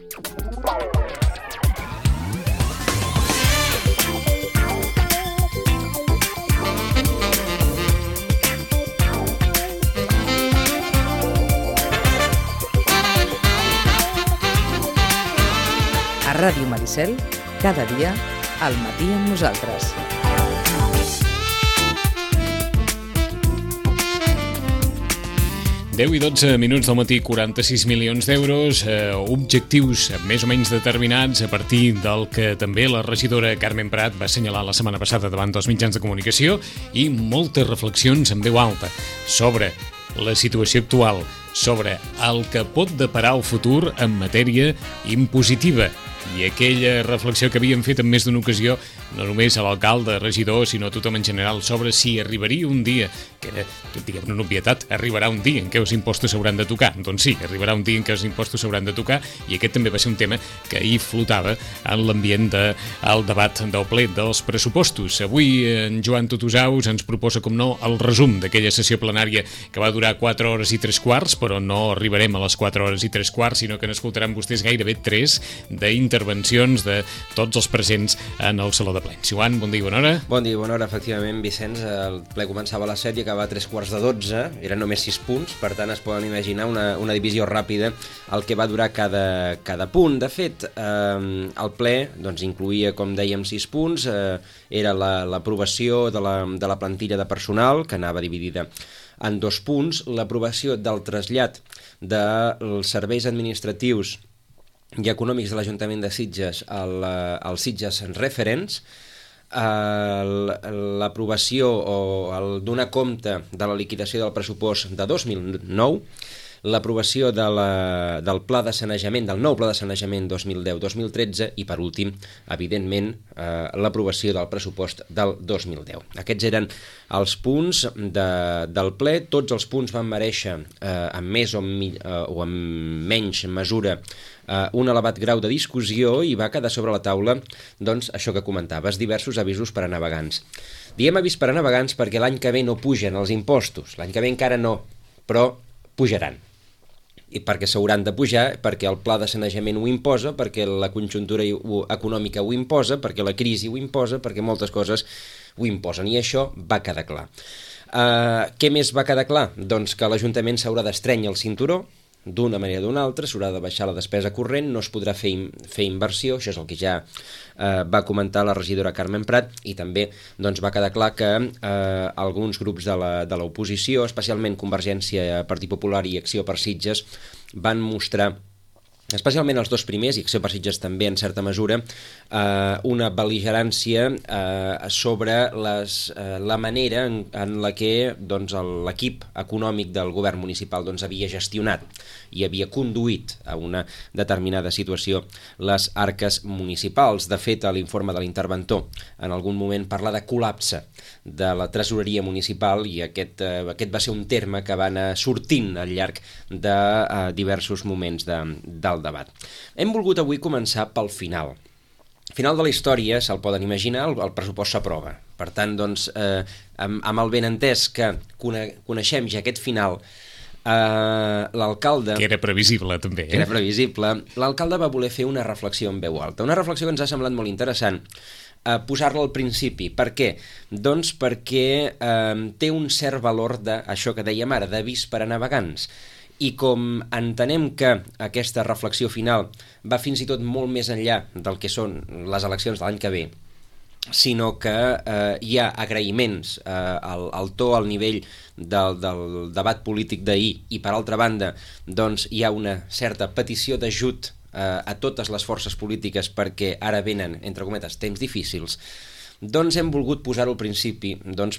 A Ràdio Maricel, cada dia, al matí amb nosaltres. Deu i 12 minuts del matí, 46 milions d'euros, objectius més o menys determinats a partir del que també la regidora Carmen Prat va assenyalar la setmana passada davant dels mitjans de comunicació i moltes reflexions en veu alta sobre la situació actual, sobre el que pot deparar el futur en matèria impositiva. I aquella reflexió que havíem fet en més d'una ocasió, no només a l'alcalde, regidor, sinó a tothom en general, sobre si arribaria un dia, que era, diguem-ne, una obvietat, arribarà un dia en què els impostos s'hauran de tocar. Doncs sí, arribarà un dia en què els impostos s'hauran de tocar, i aquest també va ser un tema que ahir flotava en l'ambient del debat del ple dels pressupostos. Avui en Joan Tutusaus ens proposa, com no, el resum d'aquella sessió plenària que va durar 4 hores i 3/4, però no arribarem a les 4 hores i 3/4, sinó que n'escoltaran vostès gairebé 3 d'intervencions de tots els presents en el Saló de Plens. Joan, bon dia i bona hora. Bon dia i bona hora, efectivament, Vicenç. El ple començava a les 7 i acabava a 3:15, eren només 6 punts, per tant es poden imaginar una divisió ràpida el que va durar cada punt. De fet, el ple doncs, incluïa, com dèiem, 6 punts, era l'aprovació de la plantilla de personal, que anava dividida en 2 punts, l'aprovació del trasllat dels serveis administratius i econòmics de l'Ajuntament de Sitges als Sitges Referents, l'aprovació o donar compte de la liquidació del pressupost de 2009, l'aprovació del pla de sanejament, del nou pla de sanejament 2010-2013 i, per últim, evidentment, l'aprovació del pressupost del 2010. Aquests eren els punts del ple. Tots els punts van merèixer, en més o en menys mesura, un elevat grau de discussió i va quedar sobre la taula, doncs, això que comentaves, diversos avisos per a navegants. Diem avís per a navegants perquè l'any que ve no pugen els impostos, l'any que ve encara no, però pujaran. I perquè s'hauran de pujar, perquè el pla de sanejament ho imposa, perquè la conjuntura econòmica ho imposa, perquè la crisi ho imposa, perquè moltes coses ho imposen, i això va quedar clar. Què més va quedar clar? Doncs que l'Ajuntament s'haurà d'estrènyer el cinturó, d'una manera o d'una altra, s'haurà de baixar la despesa corrent, no es podrà fer inversió, això és el que ja va comentar la regidora Carmen Prat, i també doncs, va quedar clar que alguns grups de l'oposició, especialment Convergència, Partit Popular i Acció per Sitges, van mostrar, especialment els dos primers, i Acció per Sitges també en certa mesura, una bel·ligerància sobre la manera en la que doncs, l'equip econòmic del govern municipal doncs, havia gestionat i havia conduït a una determinada situació les arques municipals. De fet, a l'informe de l'interventor en algun moment parla de col·lapse de la tresoreria municipal, i aquest va ser un terme que va anar sortint al llarg de diversos moments del debat. Hem volgut avui començar pel final. Al final de la història, se'l poden imaginar, el pressupost s'aprova. Per tant, doncs, amb el benentès que coneixem ja aquest final, l'alcalde... Que era previsible, també. Era previsible. L'alcalde va voler fer una reflexió en veu alta. Una reflexió que ens ha semblat molt interessant, posar-la al principi. Per què? Doncs perquè té un cert valor d'això que dèiem ara, d'avís per a navegants. I com entenem que aquesta reflexió final va fins i tot molt més enllà del que són les eleccions de l'any que ve, sinó que hi ha agraïments al to, al nivell del debat polític d'ahir, i per altra banda doncs, hi ha una certa petició d'ajut a totes les forces polítiques perquè ara venen, entre cometes, temps difícils, doncs hem volgut posar-ho al principi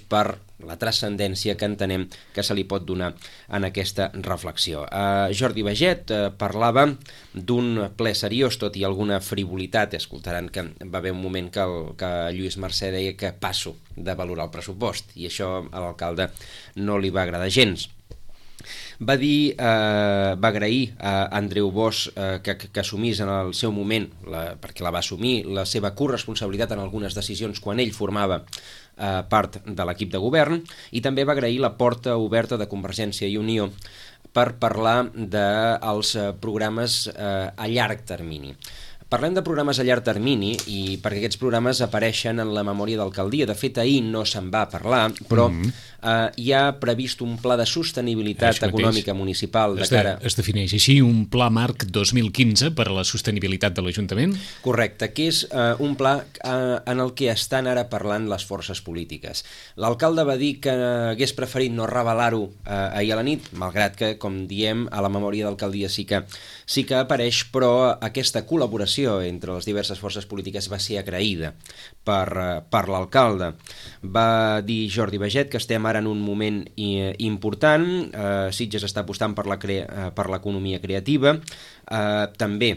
per la transcendència que entenem que se li pot donar en aquesta reflexió. Jordi Baget parlava d'un ple seriós, tot i alguna frivolitat. Escoltaran que va haver un moment que Lluís Mercè deia que passo de valorar el pressupost, i això a l'alcalde no li va agradar gens. Va dir, va agrair a Andreu Bosch que assumís en el seu moment, perquè la va assumir, la seva corresponsabilitat en algunes decisions quan ell formava part de l'equip de govern, i també va agrair la porta oberta de Convergència i Unió per parlar dels programes a llarg termini. Parlem de programes a llarg termini i perquè aquests programes apareixen en la memòria d'alcaldia. De fet, ahir no se'n va parlar, però hi ha previst un pla de sostenibilitat econòmica municipal de cara... Es defineix així, un pla marc 2015 per a la sostenibilitat de l'Ajuntament? Correcte, que és un pla en el que estan ara parlant les forces polítiques. L'alcalde va dir que hagués preferit no revelar-ho ahir a la nit, malgrat que, com diem, a la memòria d'alcaldia sí que apareix, però aquesta col·laboració entre les diverses forces polítiques va ser agraïda per l'alcalde. Va dir Jordi Baget que estem ara en un moment important, Sitges està apostant per l'economia creativa, també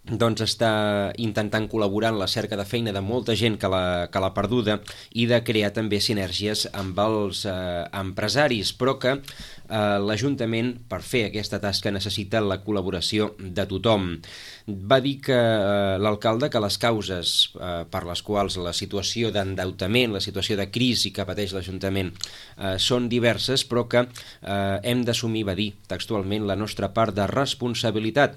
està intentant col·laborar en la cerca de feina de molta gent que l'ha perduda i de crear també sinergies amb els empresaris, però que l'Ajuntament, per fer aquesta tasca, necessita la col·laboració de tothom. Va dir que l'alcalde que les causes per les quals la situació d'endeutament, la situació de crisi que pateix l'Ajuntament són diverses, però que hem d'assumir, va dir textualment, la nostra part de responsabilitat.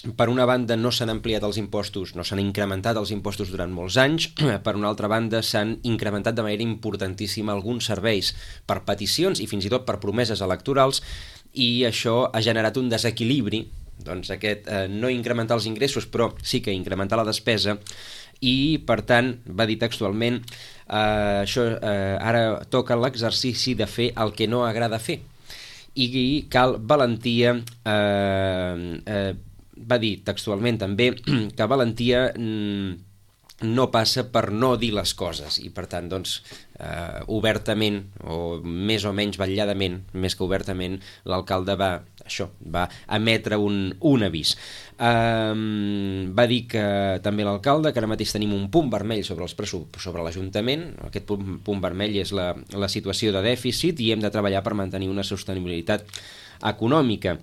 Per una banda no s'han ampliat els impostos, no s'han incrementat els impostos durant molts anys, per una altra banda s'han incrementat de manera importantíssima alguns serveis per peticions i fins i tot per promeses electorals, i això ha generat un desequilibri, doncs aquest no incrementar els ingressos però sí que incrementar la despesa, i per tant va dir textualment ara toca l'exercici de fer el que no agrada fer i cal valentia. Va dir textualment també que valentia no passa per no dir les coses, i per tant doncs obertament o més o menys vetlladament, més que obertament, l'alcalde va emetre un avís. Va dir que també l'alcalde que ara mateix tenim un punt vermell sobre l'Ajuntament. Aquest punt vermell és la situació de dèficit i hem de treballar per mantenir una sostenibilitat econòmica.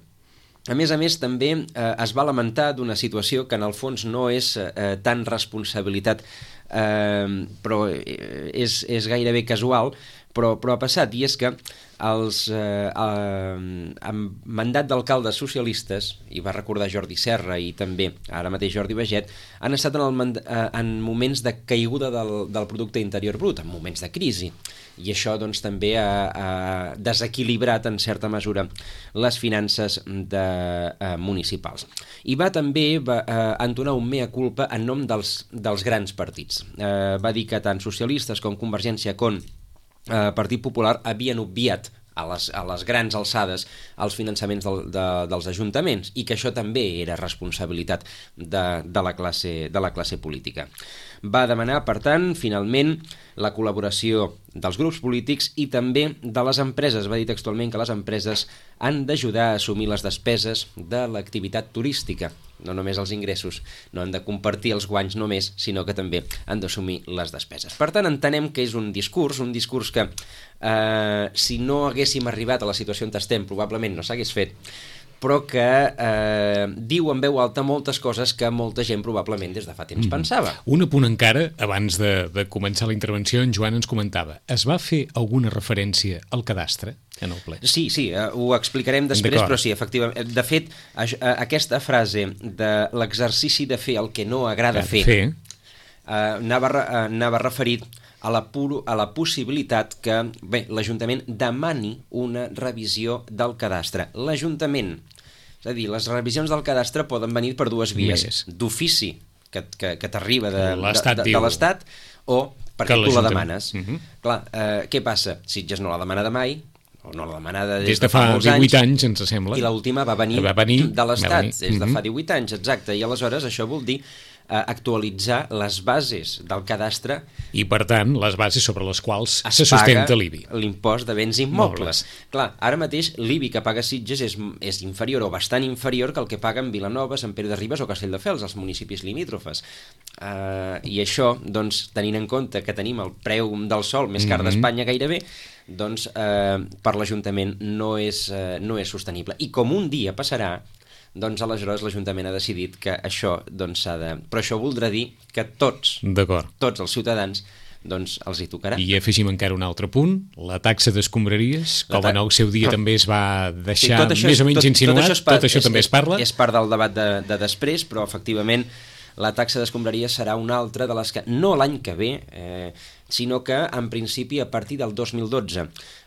A més, també es va lamentar d'una situació que en el fons no és tan responsabilitat, però és gairebé casual, però ha passat, i és que amb mandat d'alcaldes socialistes, i va recordar Jordi Serra i també ara mateix Jordi Baget, han estat en moments de caiguda del producte interior brut, en moments de crisi, i això doncs també ha desequilibrat en certa mesura les finances municipals. I va també entonar un mea culpa en nom dels grans partits. Va dir que tant socialistes com Convergència com Partit Popular havien obviat a les grans alçades els finançaments dels ajuntaments, i que això també era responsabilitat de la classe política. Va demanar, per tant, finalment, la col·laboració dels grups polítics i també de les empreses. Va dir textualment que les empreses han d'ajudar a assumir les despeses de l'activitat turística, no només els ingressos, no han de compartir els guanys només, sinó que també han d'assumir les despeses. Per tant, entenem que és un discurs que si no haguéssim arribat a la situació on estem, probablement no s'hagués fet, però que diu en veu alta moltes coses que molta gent probablement des de fa temps pensava. Un apunt encara, abans de començar la intervenció, en Joan ens comentava, es va fer alguna referència al cadastre en el ple? Sí, ho explicarem després, però sí, efectivament. De fet, aquesta frase de l'exercici de fer el que no agrada fer anava referit a la possibilitat que l'Ajuntament demani una revisió del cadastre. L'Ajuntament, és a dir, les revisions del cadastre poden venir per dues vies, d'ofici, que t'arriba de l'Estat, o perquè tu la demanes. Clar, què passa? Sitges no l'ha demanada mai, o no l'ha demanada des de fa molts anys. 18 anys, ens sembla. I l'última va venir de l'Estat, des de fa 18 anys, exacte. I aleshores això vol dir actualitzar les bases del cadastre i, per tant, les bases sobre les quals se sustenta l'IBI. L'impost de béns immobles. Clar, ara mateix l'IBI que paga Sitges és inferior o bastant inferior que el que paguen Vilanova, Sant Pere de Ribes o Castelldefels, els municipis limítrofes. I això, doncs, tenint en compte que tenim el preu del sòl més car d'Espanya gairebé, doncs per l'Ajuntament no és sostenible. I com un dia passarà, doncs aleshores l'Ajuntament ha decidit que això doncs s'ha de... Però això voldrà dir que tots els ciutadans doncs els hi tocarà. I afegim encara un altre punt, la taxa d'escombraries, com en el seu dia també es va deixar més o menys insinuat, tot això també es parla. És part del debat de després, però efectivament la taxa d'escombraries serà una altra de les que, no l'any que ve, sinó que en principi a partir del 2012.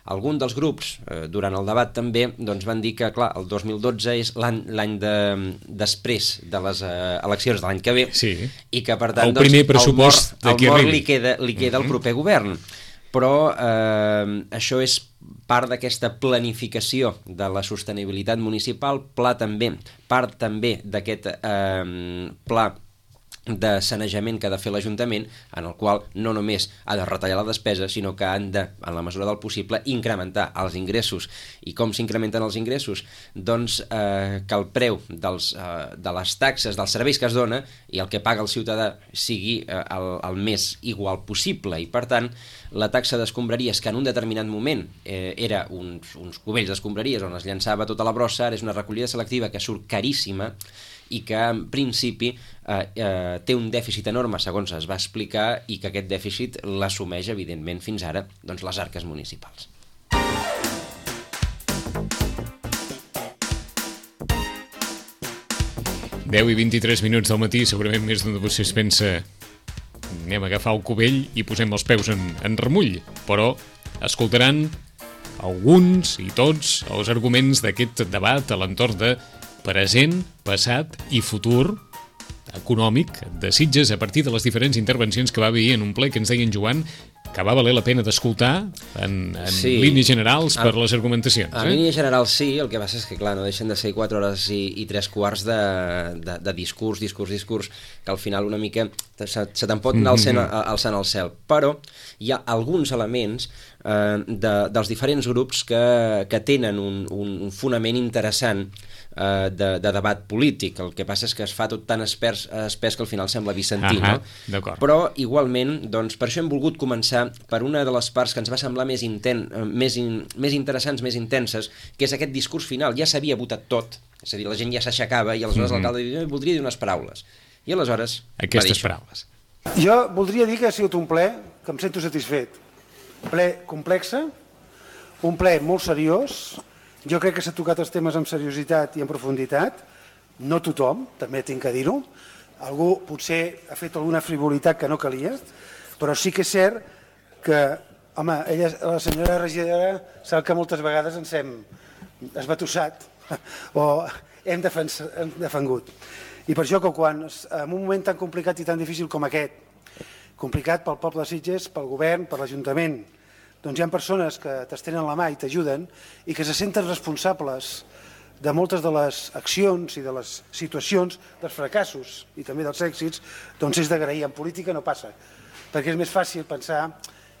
Alguns dels grups, durant el debat també, doncs van dir que clar, el 2012 és l'any després de les eleccions de l'any que ve, i que per tant el primer pressupost li queda al proper govern. Però això és part d'aquesta planificació de la sostenibilitat municipal, part també d'aquest pla de sanejament que ha de fer l'Ajuntament, en el qual no només ha de retallar la despesa, sinó que han de, en la mesura del possible, incrementar els ingressos. I com s'incrementen els ingressos? Doncs que el preu de les taxes, dels serveis que es dona i el que paga el ciutadà sigui el més igual possible. I per tant, la taxa d'escombraries, que en un determinat moment era uns cubells d'escombraries on es llançava tota la brossa, ara és una recollida selectiva que surt caríssima i que en principi té un dèficit enorme, segons es va explicar, i que aquest dèficit l'assumeix, evidentment, fins ara, doncs, les arques municipals. Deu i 23 minuts del matí, segurament més d'un de vostès pensa anem a agafar el cubell i posem els peus en remull, però escoltaran alguns i tots els arguments d'aquest debat a l'entorn de present, passat i futur econòmic de Sitges a partir de les diferents intervencions que va haver en un ple que ens deia en Joan que va valer la pena d'escoltar en línies generals per les argumentacions. En línies generals sí, el que passa és que clar, no deixen de ser 4 hores i 3 quarts de discurs, que al final una mica se te'n pot anar alçant al cel. Però hi ha alguns elements dels diferents grups que tenen un fonament interessant de debat polític. El que passa és que es fa tot tan espès que al final sembla bizantí, no? Però igualment, doncs, per això hem volgut començar per una de les parts que ens va semblar més interessants, més intenses, que és aquest discurs final. Ja s'havia votat tot, és a dir, la gent ja s'aixecava i aleshores l'alcalde diu, voldria dir unes paraules. I aleshores aquestes paraules. Jo voldria dir que ha sigut un ple que em sento satisfet. Un ple complexe, un ple molt seriós. Jo crec que s'ha tocat els temes amb seriositat i en profunditat. No tothom, també tinc que dir-ho. Algú potser ha fet alguna frivolitat que no calia, però sí que és cert que, home, la senyora regidora sap que moltes vegades ens hem esbatussat o hem defengut. I per això que quan, en un moment tan complicat i tan difícil com aquest, complicat pel poble de Sitges, pel govern, per l'Ajuntament, doncs hi ha persones que t'estenen la mà i t'ajuden i que se senten responsables de moltes de les accions i de les situacions, dels fracassos i també dels èxits, doncs és d'agrair. En política no passa, perquè és més fàcil pensar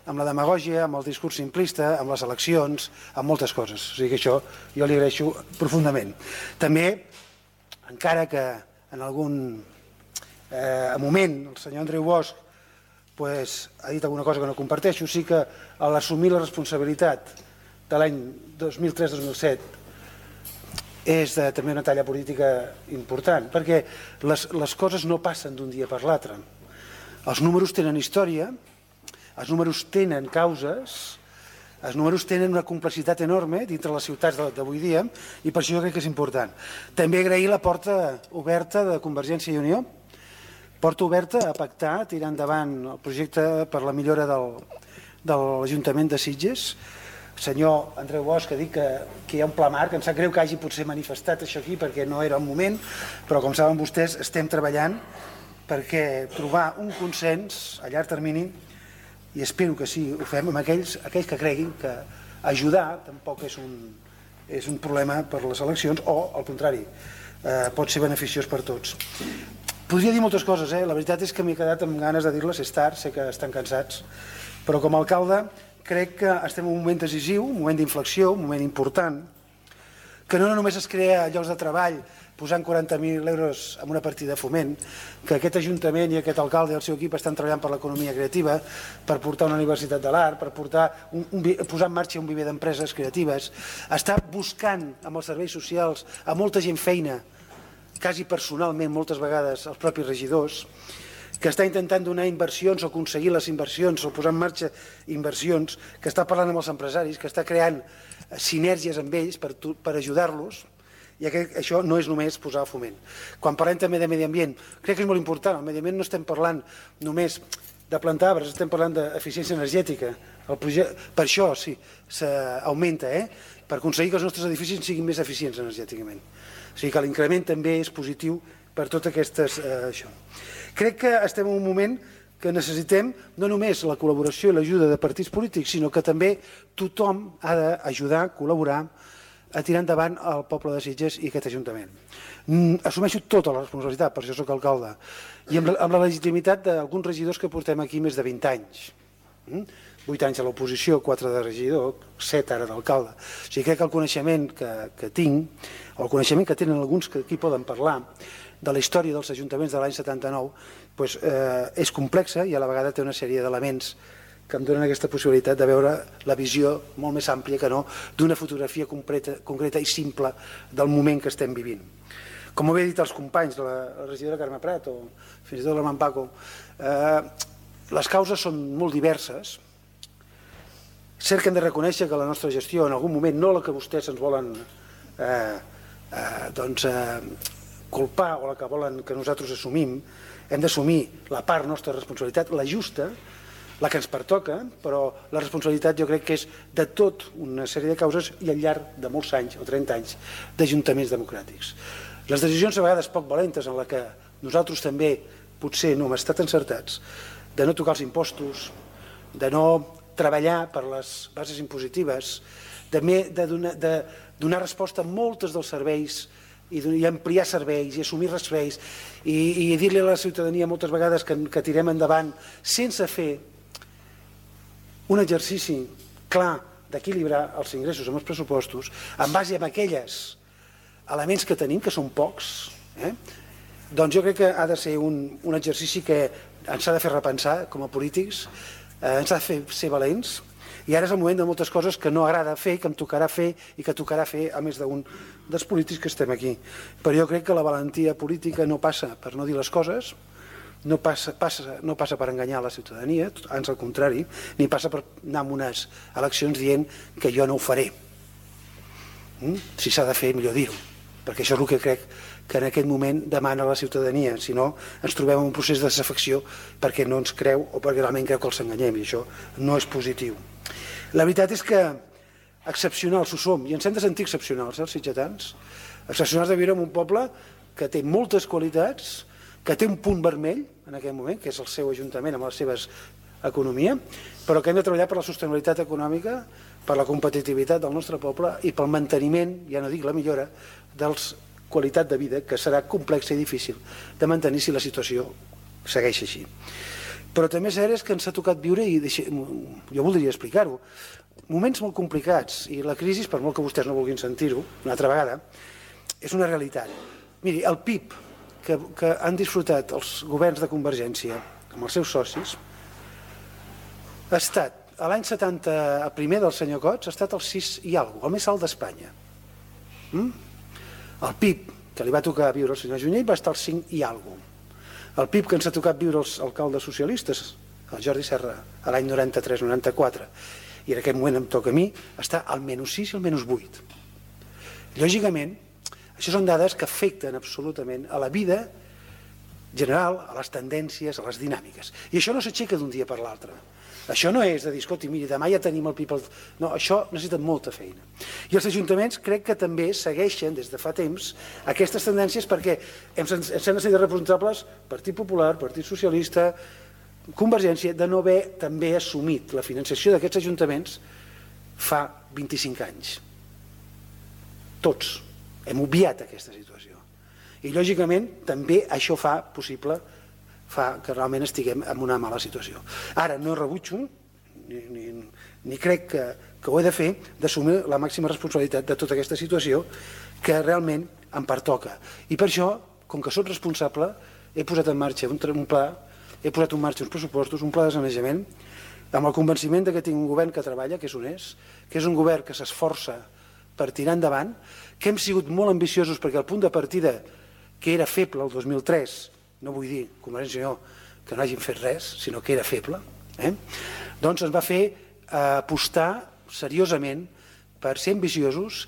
amb la demagògia, amb el discurs simplista, amb les eleccions, amb moltes coses. O sigui que això jo li agraeixo profundament. També, encara que en algun moment el senyor Andreu Bosch ha dit alguna cosa que no comparteixo, sí que a l'assumir la responsabilitat de l'any 2003-2007 és també una talla política important, perquè les coses no passen d'un dia per l'altre. Els números tenen història, els números tenen causes, els números tenen una complexitat enorme dintre les ciutats d'avui dia i per això jo crec que és important. També agrair la porta oberta de Convergència i Unió, porta oberta a pactar, tirar endavant el projecte per la millora de l'Ajuntament de Sitges. El senyor Andreu Bosch ha dit que hi ha un pla marc, em sap greu que hagi potser manifestat això aquí perquè no era el moment, però com saben vostès estem treballant perquè trobar un consens a llarg termini i espero que sí, ho fem amb aquells que creguin que ajudar tampoc és un problema per les eleccions o al contrari, pot ser beneficiós per tots. Podria dir moltes coses, la veritat és que m'he quedat amb ganes de dir-les, és tard, sé que estan cansats, però com a alcalde crec que estem en un moment decisiu, un moment d'inflexió, un moment important, que no només es crea llocs de treball posant 40.000 euros en una partida de foment, que aquest Ajuntament i aquest alcalde i el seu equip estan treballant per l'economia creativa, per portar una universitat de l'art, per posar en marxa un viver d'empreses creatives, està buscant amb els serveis socials a molta gent feina, quasi personalment moltes vegades els propis regidors, que està intentant donar inversions o aconseguir les inversions o posar en marxa inversions, que està parlant amb els empresaris, que està creant sinergies amb ells per ajudar-los, i això no és només posar foment. Quan parlem també de medi ambient, crec que és molt important. Al medi ambient no estem parlant només de plantar arbres, estem parlant d'eficiència energètica. Per això sí, s'augmenta, per aconseguir que els nostres edificis siguin més eficients energèticament. O sigui que l'increment també és positiu per tot aquestes... Crec que estem en un moment que necessitem no només la col·laboració i l'ajuda de partits polítics, sinó que també tothom ha d'ajudar, col·laborar a tirar endavant el poble de Sitges i aquest Ajuntament. Assumeixo tota la responsabilitat, per això soc alcalde, i amb la legitimitat d'alguns regidors que portem aquí més de 20 anys. 8 anys a l'oposició, 4 de regidor, 7 ara d'alcalde. O sigui, crec que el coneixement que tinc, o el coneixement que tenen alguns que aquí poden parlar, de la història dels ajuntaments de l'any 79, és complexa i a la vegada té una sèrie d'elements que em donen aquesta possibilitat de veure la visió molt més àmplia que no d'una fotografia concreta i simple del moment que estem vivint. Com ho he dit als companys, la regidora Carme Prat o fins i tot l'Armand Paco, les causes són molt diverses. Cert que hem de reconèixer que la nostra gestió en algun moment, no la que vostès ens volen culpar o la que volen que nosaltres assumim, hem d'assumir la part nostra responsabilitat, la justa, la que ens pertoca, però la responsabilitat jo crec que és de tot una sèrie de causes i al llarg de molts anys o 30 anys d'ajuntaments democràtics. Les decisions a vegades poc valentes en la que nosaltres també potser no hem estat encertats, de no tocar els impostos, de no treballar per les bases impositives, de donar resposta a moltes dels serveis i ampliar serveis i assumir serveis i dir-li a la ciutadania moltes vegades que tirem endavant sense fer un exercici clar d'equilibrar els ingressos amb els pressupostos en base a aquells elements que tenim, que són pocs, doncs jo crec que ha de ser un exercici que ens ha de fer repensar com a polítics, ens ha de fer ser valents, i ara és el moment de moltes coses que no agrada fer, que em tocarà fer i que tocarà fer a més d'un dels polítics que estem aquí. Però jo crec que la valentia política no passa per no dir les coses, no passa per enganyar la ciutadania, ans al contrari, ni passa per anar a unes eleccions dient que jo no ho faré. Si s'ha de fer, millor dir-ho, perquè això és el que crec que en aquest moment demana la ciutadania, si no ens trobem en un procés de desafecció perquè no ens creu o perquè realment creu que els enganyem, i això no és positiu. La veritat és que excepcionals ho som, i ens hem de sentir excepcionals, els sitgetans, excepcionals de viure en un poble que té moltes qualitats, que té un punt vermell en aquest moment, que és el seu ajuntament amb les seves economia, però que hem de treballar per la sostenibilitat econòmica, per la competitivitat del nostre poble i pel manteniment, ja no dic la millora, de la qualitat de vida, que serà complexa i difícil de mantenir si la situació segueix així. Però també cert és que ens ha tocat viure, i jo voldria explicar-ho, moments molt complicats, i la crisi, per molt que vostès no vulguin sentir-ho, una altra vegada, és una realitat. Miri, el PIB que han disfrutat els governs de Convergència amb els seus socis ha estat, a l'any 70, el primer del senyor Cots, ha estat el 6 i alguna cosa, el més alt d'Espanya. El PIB que li va tocar viure el senyor Junyent va estar al 5 i alguna cosa. El PIB que ens ha tocat viure els alcaldes socialistes, el Jordi Serra, a l'any 93-94, i en aquest moment em toca a mi, està al -6 i al -8. Lògicament, això són dades que afecten absolutament a la vida general, a les tendències, a les dinàmiques. I això no s'aixeca d'un dia per l'altre. Això no és de dir, escolti, miri, demà ja tenim el PIB... No, això necessita molta feina. I els ajuntaments crec que també segueixen des de fa temps aquestes tendències perquè ens han de ser responsables Partit Popular, Partit Socialista, Convergència, de no haver també assumit la finançació d'aquests ajuntaments fa 25 anys. Tots hem obviat aquesta situació. I lògicament també això fa possible que realment estiguem en una mala situació. Ara no rebutjo ni crec que ho he de fer, d'assumir la màxima responsabilitat de tota aquesta situació que realment em pertoca. I per això, com que soc responsable, he posat en marxa un pla, he posat en marxa uns pressupostos, un pla de sanejament, amb el convenciment que tinc un govern que treballa, que és honest, que és un govern que s'esforça per tirar endavant, que hem sigut molt ambiciosos perquè el punt de partida, que era feble el 2003, no vull dir, Convergència i Unió, que no hagin fet res, sinó que era feble, doncs ens va fer apostar seriosament per ser ambiciosos,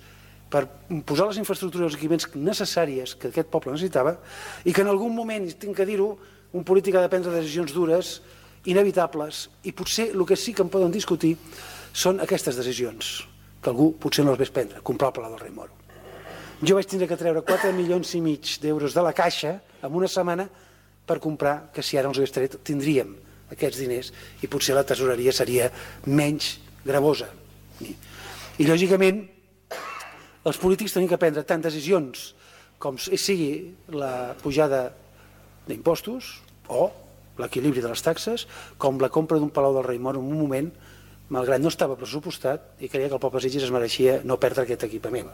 per posar les infraestructures i els equipaments necessàries que aquest poble necessitava i que en algun moment, tinc que dir-ho, un polític ha de prendre decisions dures, inevitables, i potser el que sí que en poden discutir són aquestes decisions, que algú potser no les ves prendre, comprar el Palau del Rei Moro. Jo vaig tindre que treure 4,5 milions d'euros de la caixa en una setmana per comprar, que si ara els hagués tret tindríem aquests diners i potser la tesoreria seria menys gravosa. I lògicament els polítics tenim que prendre tant decisions com sigui la pujada d'impostos o l'equilibri de les taxes, com la compra d'un Palau del Rei Moro en un moment, malgrat no estava pressupostat, i creia que el poble de Sitges es mereixia no perdre aquest equipament.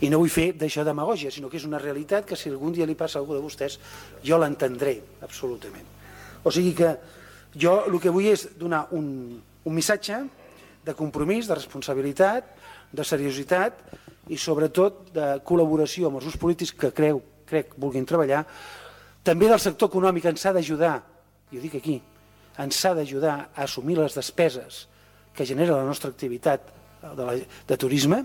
I no vull fer d'això demagògia, sinó que és una realitat que si algun dia li passa a algú de vostès, jo l'entendré, absolutament. O sigui que jo el que vull és donar un missatge de compromís, de responsabilitat, de seriositat i sobretot de col·laboració amb els grups polítics que crec vulguin treballar. També del sector econòmic ens ha d'ajudar, i ho dic aquí, ens ha d'ajudar a assumir les despeses que genera la nostra activitat de turisme,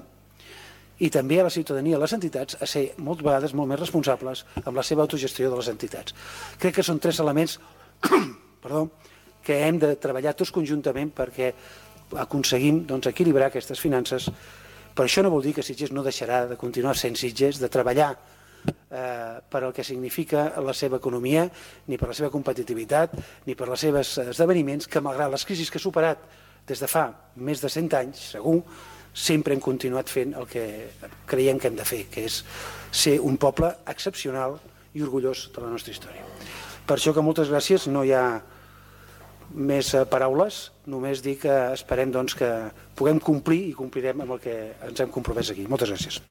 i també a la ciutadania, a les entitats, a ser moltes vegades molt més responsables amb la seva autogestió de les entitats. Crec que són 3 elements que hem de treballar tots conjuntament perquè aconseguim equilibrar aquestes finances. Però això no vol dir que Sitges no deixarà de continuar sent Sitges, de treballar per al que significa la seva economia, ni per la seva competitivitat, ni per els seus esdeveniments, que malgrat les crisis que ha superat des de fa més de 100 anys, segur, sempre hem continuat fent el que creiem que hem de fer, que és ser un poble excepcional i orgullós de la nostra història. Per això que moltes gràcies, no hi ha més paraules, només dir que esperem que puguem complir i complirem amb el que ens hem compromès aquí. Moltes gràcies.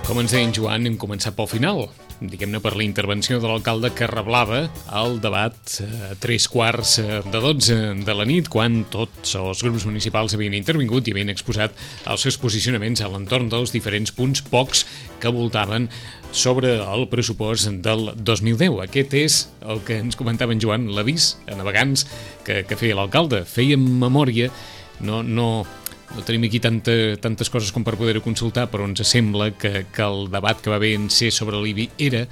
Com ens deia en Joan, hem començat pel final, diguem-ne per la intervenció de l'alcalde que reblava el debat a 11:45 de la nit, quan tots els grups municipals havien intervingut i havien exposat els seus posicionaments a l'entorn dels diferents punts, pocs que voltaven sobre el pressupost del 2010. Aquest és el que ens comentava en Joan, l'avís a navegants que feia l'alcalde. Fèiem memòria, no tenim aquí tantes coses com per poder-ho consultar, però ens sembla que el debat que va haver en ser sobre l'IBI era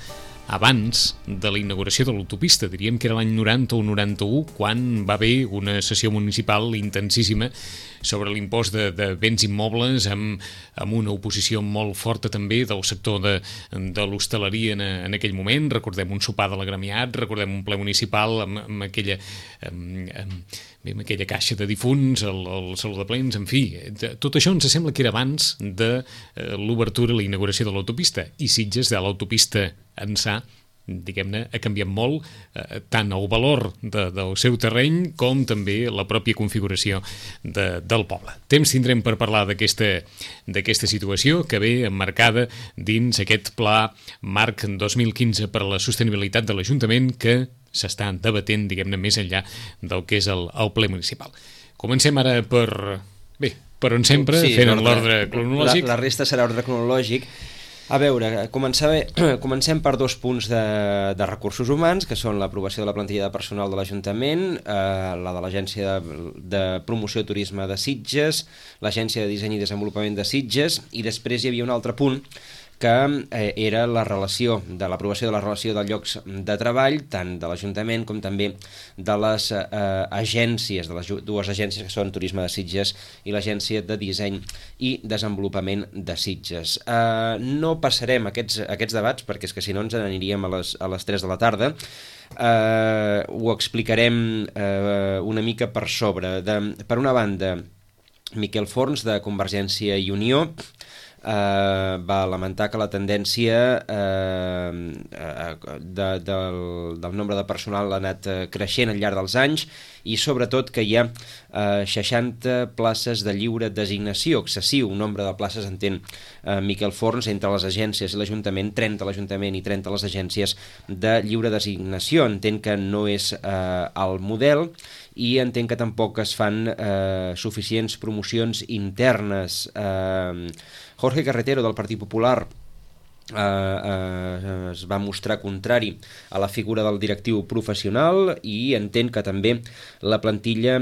abans de la inauguració de l'autopista. Diríem que era l'any 90 o 91, quan va haver una sessió municipal intensíssima sobre l'impost de béns immobles, amb una oposició molt forta també del sector de l'hostaleria en aquell moment. Recordem un sopar de l'agremiat, recordem un ple municipal amb aquella caixa de difunts, el saló de plens, en fi. Tot això ens sembla que era abans de l'obertura i la inauguració de l'autopista. I Sitges, de l'autopista ençà, diguem-ne, ha canviat molt tant el valor del seu terreny com també la pròpia configuració del poble. Temps tindrem per parlar d'aquesta situació que ve emmarcada dins aquest pla marc 2015 per a la sostenibilitat de l'Ajuntament que s'està debatent, diguem-ne, més enllà del que és el ple municipal. Comencem ara per on sempre, fent l'ordre cronològic. La resta serà ordre cronològic. A veure, comencem per 2 punts de recursos humans, que són l'aprovació de la plantilla de personal de l'Ajuntament, la de l'Agència de Promoció i Turisme de Sitges, l'Agència de Disseny i Desenvolupament de Sitges, i després hi havia un altre punt que era l'aprovació de la relació de llocs de treball, tant de l'Ajuntament com també de les agències, de les 2 agències que són Turisme de Sitges i l'Agència de Disseny i Desenvolupament de Sitges. No passarem aquests debats, perquè és que si no ens n'aniríem a les 3 de la tarda. Ho explicarem una mica per sobre. Per una banda, Miquel Forns, de Convergència i Unió, va lamentar que la tendència del nombre de personal ha anat creixent al llarg dels anys i sobretot que hi ha 60 places de lliure designació, excessiu nombre de places, entén Miquel Forns, entre les agències i l'Ajuntament, 30 a l'Ajuntament i 30 a les agències de lliure designació. Entenc que no és el model i entenc que tampoc es fan suficients promocions internes. Jorge Carretero, del Partit Popular, es va mostrar contrari a la figura del directiu professional i entén que també la plantilla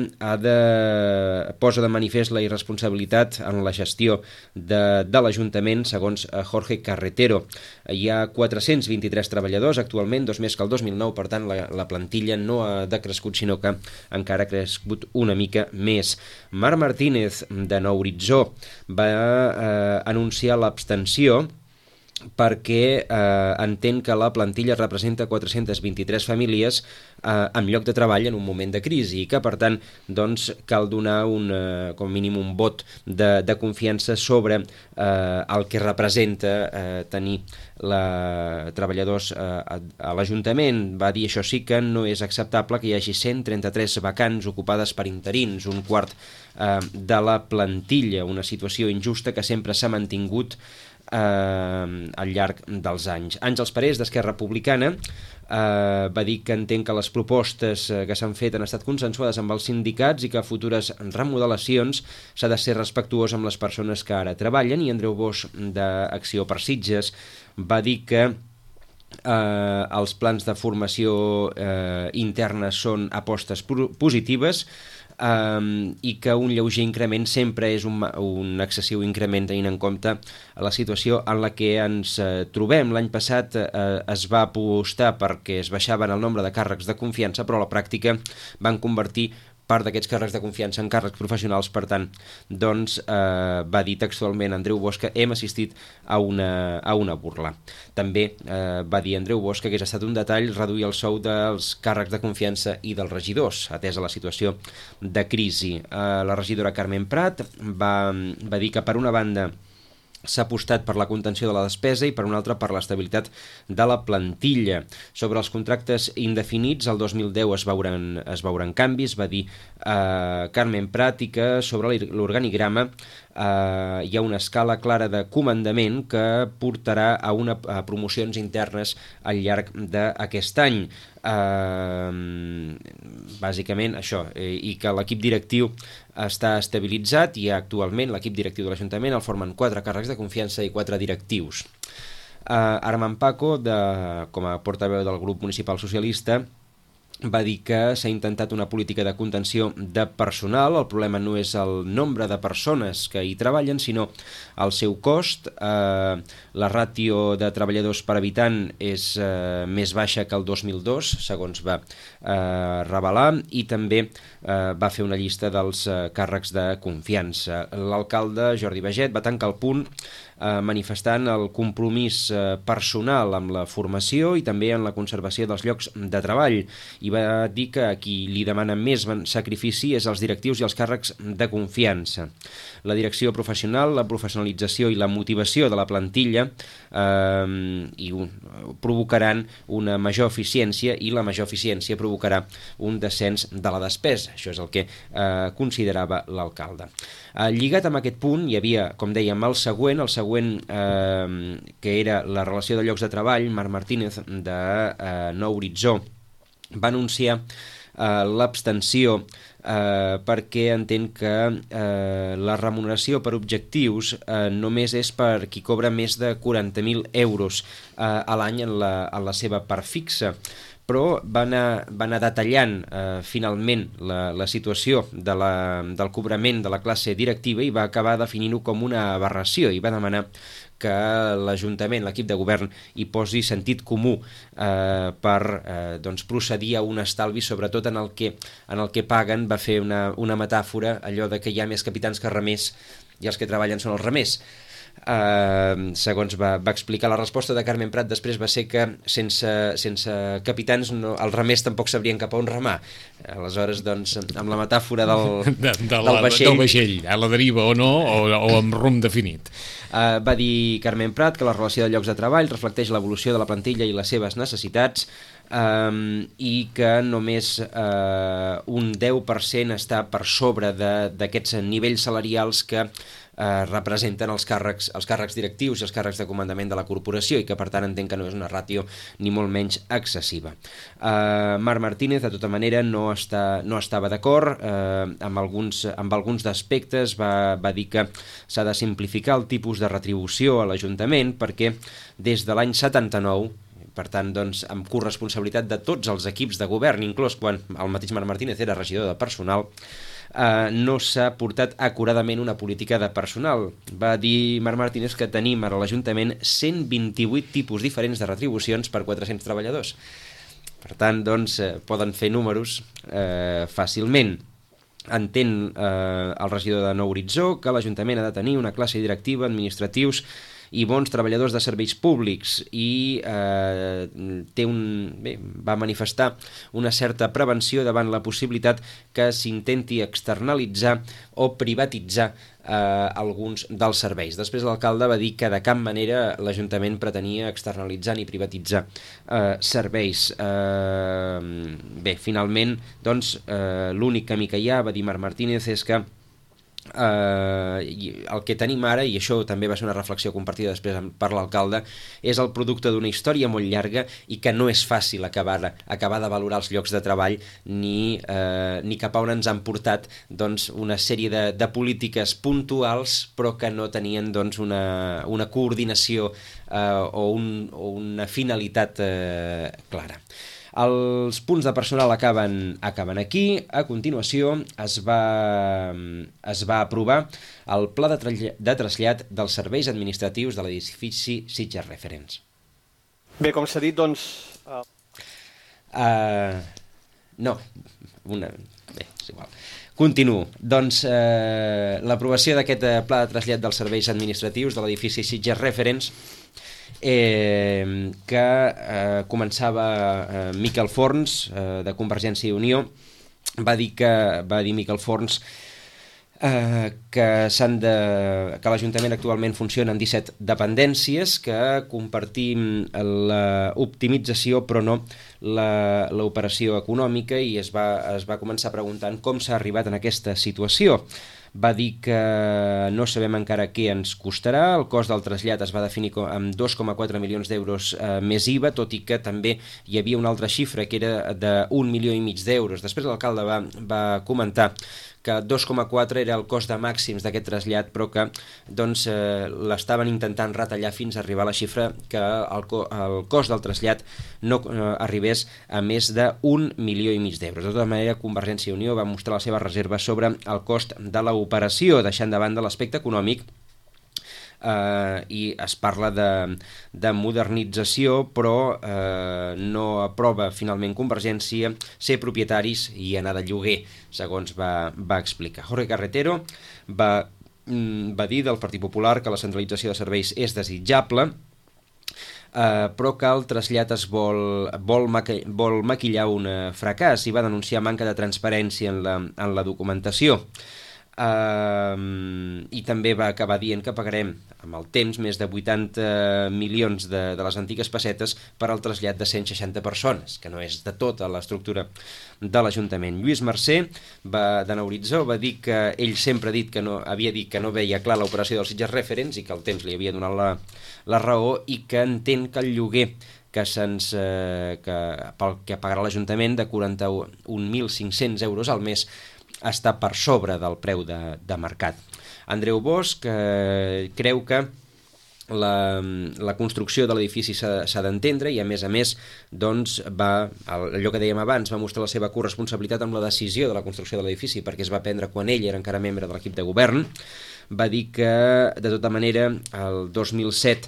posa de manifest la irresponsabilitat en la gestió de l'Ajuntament, segons Jorge Carretero. Hi ha 423 treballadors actualment, 2 més que el 2009, per tant la plantilla no ha decrescut, sinó que encara ha crescut una mica més. Marc Martínez, de Nou Horitzó, va anunciar l'abstenció perquè entén que la plantilla representa 423 famílies amb lloc de treball en un moment de crisi i que, per tant, doncs, cal donar com a mínim un vot de confiança sobre el que representa tenir treballadors a l'Ajuntament. Va dir, això sí que no és acceptable que hi hagi 133 vacants ocupades per interins, un quart de la plantilla, una situació injusta que sempre s'ha mantingut al llarg dels anys. Àngels Parés, d'Esquerra Republicana, va dir que entén que les propostes que s'han fet han estat consensuades amb els sindicats i que a futures remodelacions s'ha de ser respectuós amb les persones que ara treballen. I Andreu Bosch, d'Acció per Sitges, va dir que els plans de formació interna són apostes positives i que un lleuger increment sempre és un excessiu increment tenint en compte la situació en la que ens trobem. L'any passat es va apostar perquè es baixaven el nombre de càrrecs de confiança, però a la pràctica van convertir part d'aquests càrrecs de confiança en càrrecs professionals. Per tant, doncs, va dir textualment Andreu Bosch que hem assistit a una burla. També va dir Andreu Bosch que hagués estat un detall reduir el sou dels càrrecs de confiança i dels regidors, atesa la situació de crisi. La regidora Carmen Prat va dir que, per una banda, s'ha apostat per la contenció de la despesa i per una altra per l'estabilitat de la plantilla. Sobre els contractes indefinits, el 2010 es veuran canvis, va dir Carmen Prat, i que sobre l'organigrama hi ha una escala clara de comandament que portarà a promocions internes al llarg d'aquest any. Bàsicament això, i que l'equip directiu està estabilitzat i actualment l'equip directiu de l'Ajuntament el formen 4 càrrecs de confiança i 4 directius. Armand Paco, com a portaveu del grup municipal socialista, va dir que s'ha intentat una política de contenció de personal. El problema no és el nombre de persones que hi treballen, sinó el seu cost. La ràtio de treballadors per habitant és més baixa que el 2002, segons va revelar, i també va fer una llista dels càrrecs de confiança. L'alcalde Jordi Baget va tancar el punt manifestant el compromís personal amb la formació i també en la conservació dels llocs de treball, i va dir que a qui li demana més sacrifici és als directius i als càrrecs de confiança. La direcció professional, la professionalització i la motivació de la plantilla provocaran una major eficiència, i la major eficiència provocarà un descens de la despesa. Això és el que considerava l'alcalde. Lligat amb aquest punt hi havia, com dèiem, el següent que era la relació de llocs de treball. Marc Martínez, de Nou Horitzó, va anunciar l'abstenció perquè entén que la remuneració per objectius només és per qui cobra més de 40.000 euros a l'any en la seva part fixa, però va anar detallant finalment la situació del cobrament de la classe directiva i va acabar definint-ho com una aberració, i va demanar que l'Ajuntament, l'equip de govern, hi posi sentit comú per procedir a un estalvi, sobretot en el que paguen. Va fer una metàfora, allò de que hi ha més capitans que remers i els que treballen són els remers. Segons va explicar, la resposta de Carmen Prat després va ser que sense capitans els remers tampoc sabrien cap a on remar. Aleshores, doncs, amb la metàfora del vaixell, a la deriva o no, o amb rumb definit. Va dir Carmen Prat que la relació de llocs de treball reflecteix l'evolució de la plantilla i les seves necessitats, i que només un 10% està per sobre d'aquests nivells salarials que representen els càrrecs directius i els càrrecs de comandament de la corporació, i que per tant entenc que no és una ràtio ni molt menys excessiva. Marc Martínez de tota manera no estava d'acord amb alguns aspectes. Va dir que s'ha de simplificar el tipus de retribució a l'Ajuntament, perquè des de l'any 79, per tant, doncs, amb corresponsabilitat de tots els equips de govern, inclús quan el mateix Marc Martínez era regidor de personal, no s'ha portat acuradament una política de personal. Va dir Marc Martínez que tenim a l'Ajuntament 128 tipus diferents de retribucions per 400 treballadors. Per tant, doncs, poden fer números fàcilment. Entén el regidor de Nou Horitzó que l'Ajuntament ha de tenir una classe directiva, administratius i bons treballadors de serveis públics, i va manifestar una certa prevenció davant la possibilitat que s'intenti externalitzar o privatitzar alguns dels serveis. Després l'alcalde va dir que de cap manera l'Ajuntament pretenia externalitzar ni privatitzar serveis. Finalment, doncs, l'únic camí que hi ha, va dir Marc Martínez, és que el que tenim ara, i això també va ser una reflexió compartida després per l'alcalde, és el producte d'una història molt llarga i que no és fàcil acabar de valorar els llocs de treball ni cap a on ens han portat, doncs, una sèrie de polítiques puntuals però que no tenien, doncs, una coordinació o una finalitat clara. Els punts de personal acaben aquí. A continuació es va aprovar el pla de trasllat dels serveis administratius de l'edifici Sitges Referents. Bé, com s'ha dit, doncs... és igual. Continuo. Doncs l'aprovació d'aquest pla de trasllat dels serveis administratius de l'edifici Sitges Referents, que començava Miquel Forns, de Convergència i Unió. Va dir Miquel Forns que l'Ajuntament actualment funciona en 17 dependències, que compartim l'optimització però no l'operació econòmica, i es va començar preguntant com s'ha arribat en aquesta situació. Va dir que no sabem encara què ens costarà. El cost del trasllat es va definir amb 2,4 milions d'euros més IVA, tot i que també hi havia una altra xifra que era d'1,5 milions d'euros. Després l'alcalde va comentar que 2,4 era el cost de màxims d'aquest trasllat, però que l'estaven intentant retallar fins a arribar a la xifra que el cost del trasllat no arribés a més d'1,5 milions d'euros. De tota manera, Convergència i Unió va mostrar la seva reserva sobre el cost de l'operació, deixant de banda l'aspecte econòmic, i es parla de modernització, però no aprova finalment Convergència ser propietaris i anar de lloguer, segons va explicar. Jorge Carretero va dir del Partit Popular que la centralització de serveis és desitjable, però que el trasllat es vol maquillar un fracàs, i va denunciar manca de transparència en la documentació. I també va acabar dient que pagarem amb el temps més de 80 milions de les antigues pessetes per al trasllat de 160 persones, que no és de tota l'estructura de l'Ajuntament. Lluís Mercè, de Nou Horitzó, va dir que ell sempre havia dit que no veia clar l'operació dels Sitges Referents i que el temps li havia donat la raó, i que entén que el lloguer pel que pagarà l'Ajuntament de 41.500 euros al mes està per sobre del preu de mercat. Andreu Bosch creu que la construcció de l'edifici s'ha d'entendre, i a més doncs allò que dèiem abans, va mostrar la seva corresponsabilitat amb la decisió de la construcció de l'edifici, perquè es va prendre quan ell era encara membre de l'equip de govern. Va dir que de tota manera el 2007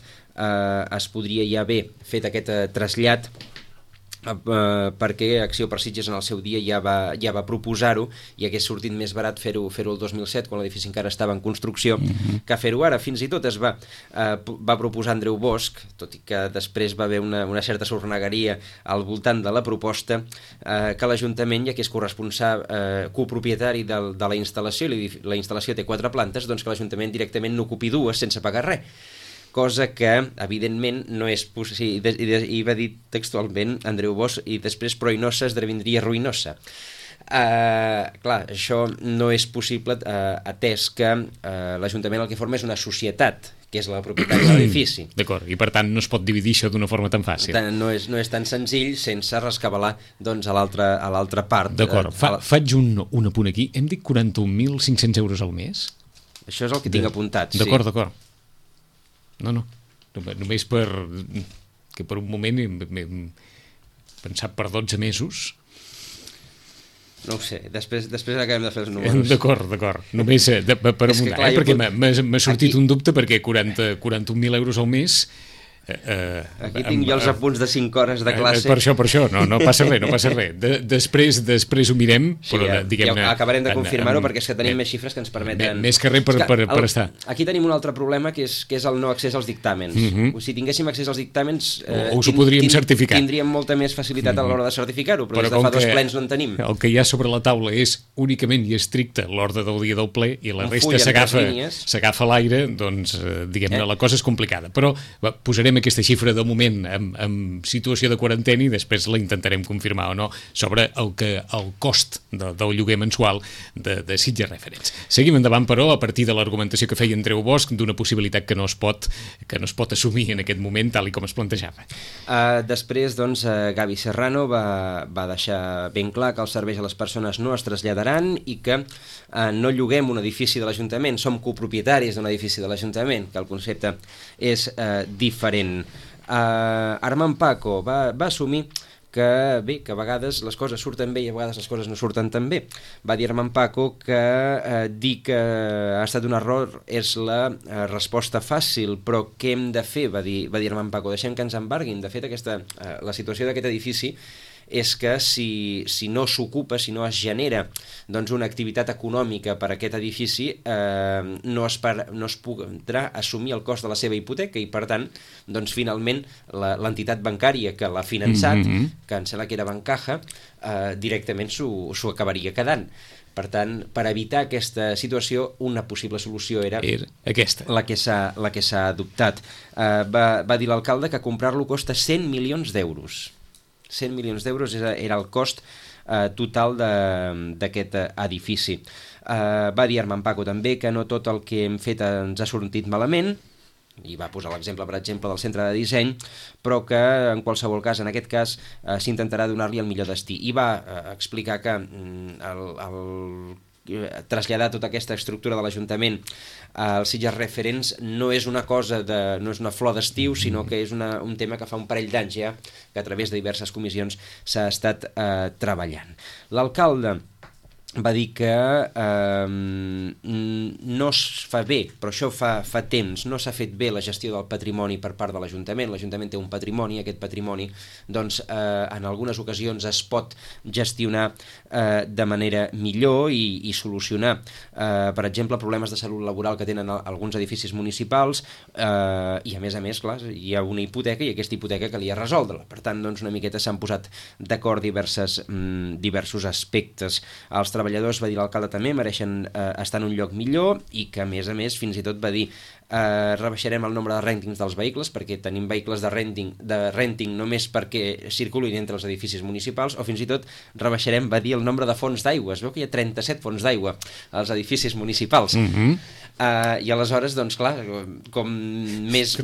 es podria ja haver fet aquest trasllat perquè Acció per Sitges en el seu dia ja va proposar-ho i hagués sortit més barat fer-ho el 2007 quan l'edifici encara estava en construcció que fer-ho ara. Fins i tot es va proposar Andreu Bosch, tot i que després va haver una certa sornegueria al voltant de la proposta, que l'Ajuntament, ja que és copropietari de la instal·lació i la instal·lació té 4 plantes, doncs que l'Ajuntament directament n'ocupi 2 sense pagar res, cosa que, evidentment, no és possible. I va dir textualment Andreu Bosch, i després Proinosa esdevindria ruïnosa. Clar, això no és possible atès que l'Ajuntament el que forma és una societat, que és la propietat de l'edifici. D'acord, i per tant no es pot dividir això d'una forma tan fàcil. No és tan senzill sense rescabalar doncs, a l'altra part. D'acord, faig un apunt aquí. Hem dit 41.500 euros al mes? Això és el que tinc apuntat, sí. D'acord. No, només que per un moment m'he pensat per 12 mesos. No ho sé, després acabem de fer els números. D'acord, només per amuntar, perquè m'ha sortit un dubte, perquè 41.000 euros al mes... Aquí tinc jo els apunts de 5 hores de classe. Per això, no passa res. Després ho mirem, però diguem-ne... Acabarem de confirmar-ho perquè és que tenim més xifres que ens permeten... Més que res per estar. Aquí tenim un altre problema que és el no accés als dictàmens. Si tinguéssim accés als dictàmens... Us ho podríem certificar. Tindríem molta més facilitat a l'hora de certificar-ho, però des de fa 2 plens no en tenim. El que hi ha sobre la taula és únicament i estricte l'ordre del dia del ple i la resta s'agafa a l'aire, doncs, diguem-ne, la cosa és complicada. Però posarem aquesta xifra de moment en situació de quarantena i després la intentarem confirmar o no sobre el cost del lloguer mensual de Sitges Referents. Seguim endavant, però, a partir de l'argumentació que feia Andreu Bosch d'una possibilitat que no es pot assumir en aquest moment tal i com es plantejava. Després, doncs, Gavi Serrano va deixar ben clar que els serveis a les persones no es traslladaran i que no lloguem un edifici de l'Ajuntament, som copropietaris d'un edifici de l'Ajuntament, que el concepte és diferent. Armand Paco va assumir que a vegades les coses surten bé i a vegades les coses no surten tan bé. Va dir Armand Paco que dir que ha estat un error és la resposta fàcil, però què hem de fer? Va dir Armand Paco, deixem que ens embarguin. De fet, la situació d'aquest edifici és que si no s'ocupa, si no es genera doncs, una activitat econòmica per a aquest edifici, no es podrà assumir el cost de la seva hipoteca i, per tant, doncs, finalment, l'entitat bancària que l'ha finançat, que em sembla que era Bancaja, directament s'ho acabaria quedant. Per tant, per evitar aquesta situació, una possible solució era aquesta, la que s'ha adoptat. Va dir l'alcalde que comprar-lo costa 100 milions d'euros. 100 milions d'euros era el cost total d'aquest edifici. Va dir Armand Paco també que no tot el que hem fet ens ha sortit malament, i va posar l'exemple, per exemple, del centre de disseny, però que en qualsevol cas, en aquest cas, s'intentarà donar-li el millor destí. I va explicar que traslladar tota aquesta estructura de l'Ajuntament als Sitges Referents no és una cosa no és una flor d'estiu, sinó que és un tema que fa un parell d'anys ja que a través de diverses comissions s'ha estat treballant. L'alcalde va dir que no es fa bé, però això fa temps, no s'ha fet bé la gestió del patrimoni per part de l'Ajuntament. L'Ajuntament té un patrimoni, aquest patrimoni doncs, en algunes ocasions es pot gestionar de manera millor i solucionar, per exemple, problemes de salut laboral que tenen alguns edificis municipals i a més, clar, hi ha una hipoteca i aquesta hipoteca calia resoldre-la. Per tant, doncs, una miqueta s'han posat d'acord diversos aspectes. Els treballadors, va dir l'alcalde també, mereixen estar en un lloc millor i que, a més, fins i tot va dir rebaixarem el nombre de rèntings dels vehicles perquè tenim vehicles de renting només perquè circulin entre els edificis municipals, o fins i tot rebaixarem, va dir, el nombre de fonts d'aigua. Es veu que hi ha 37 fonts d'aigua als edificis municipals. I aleshores, doncs, clar, com més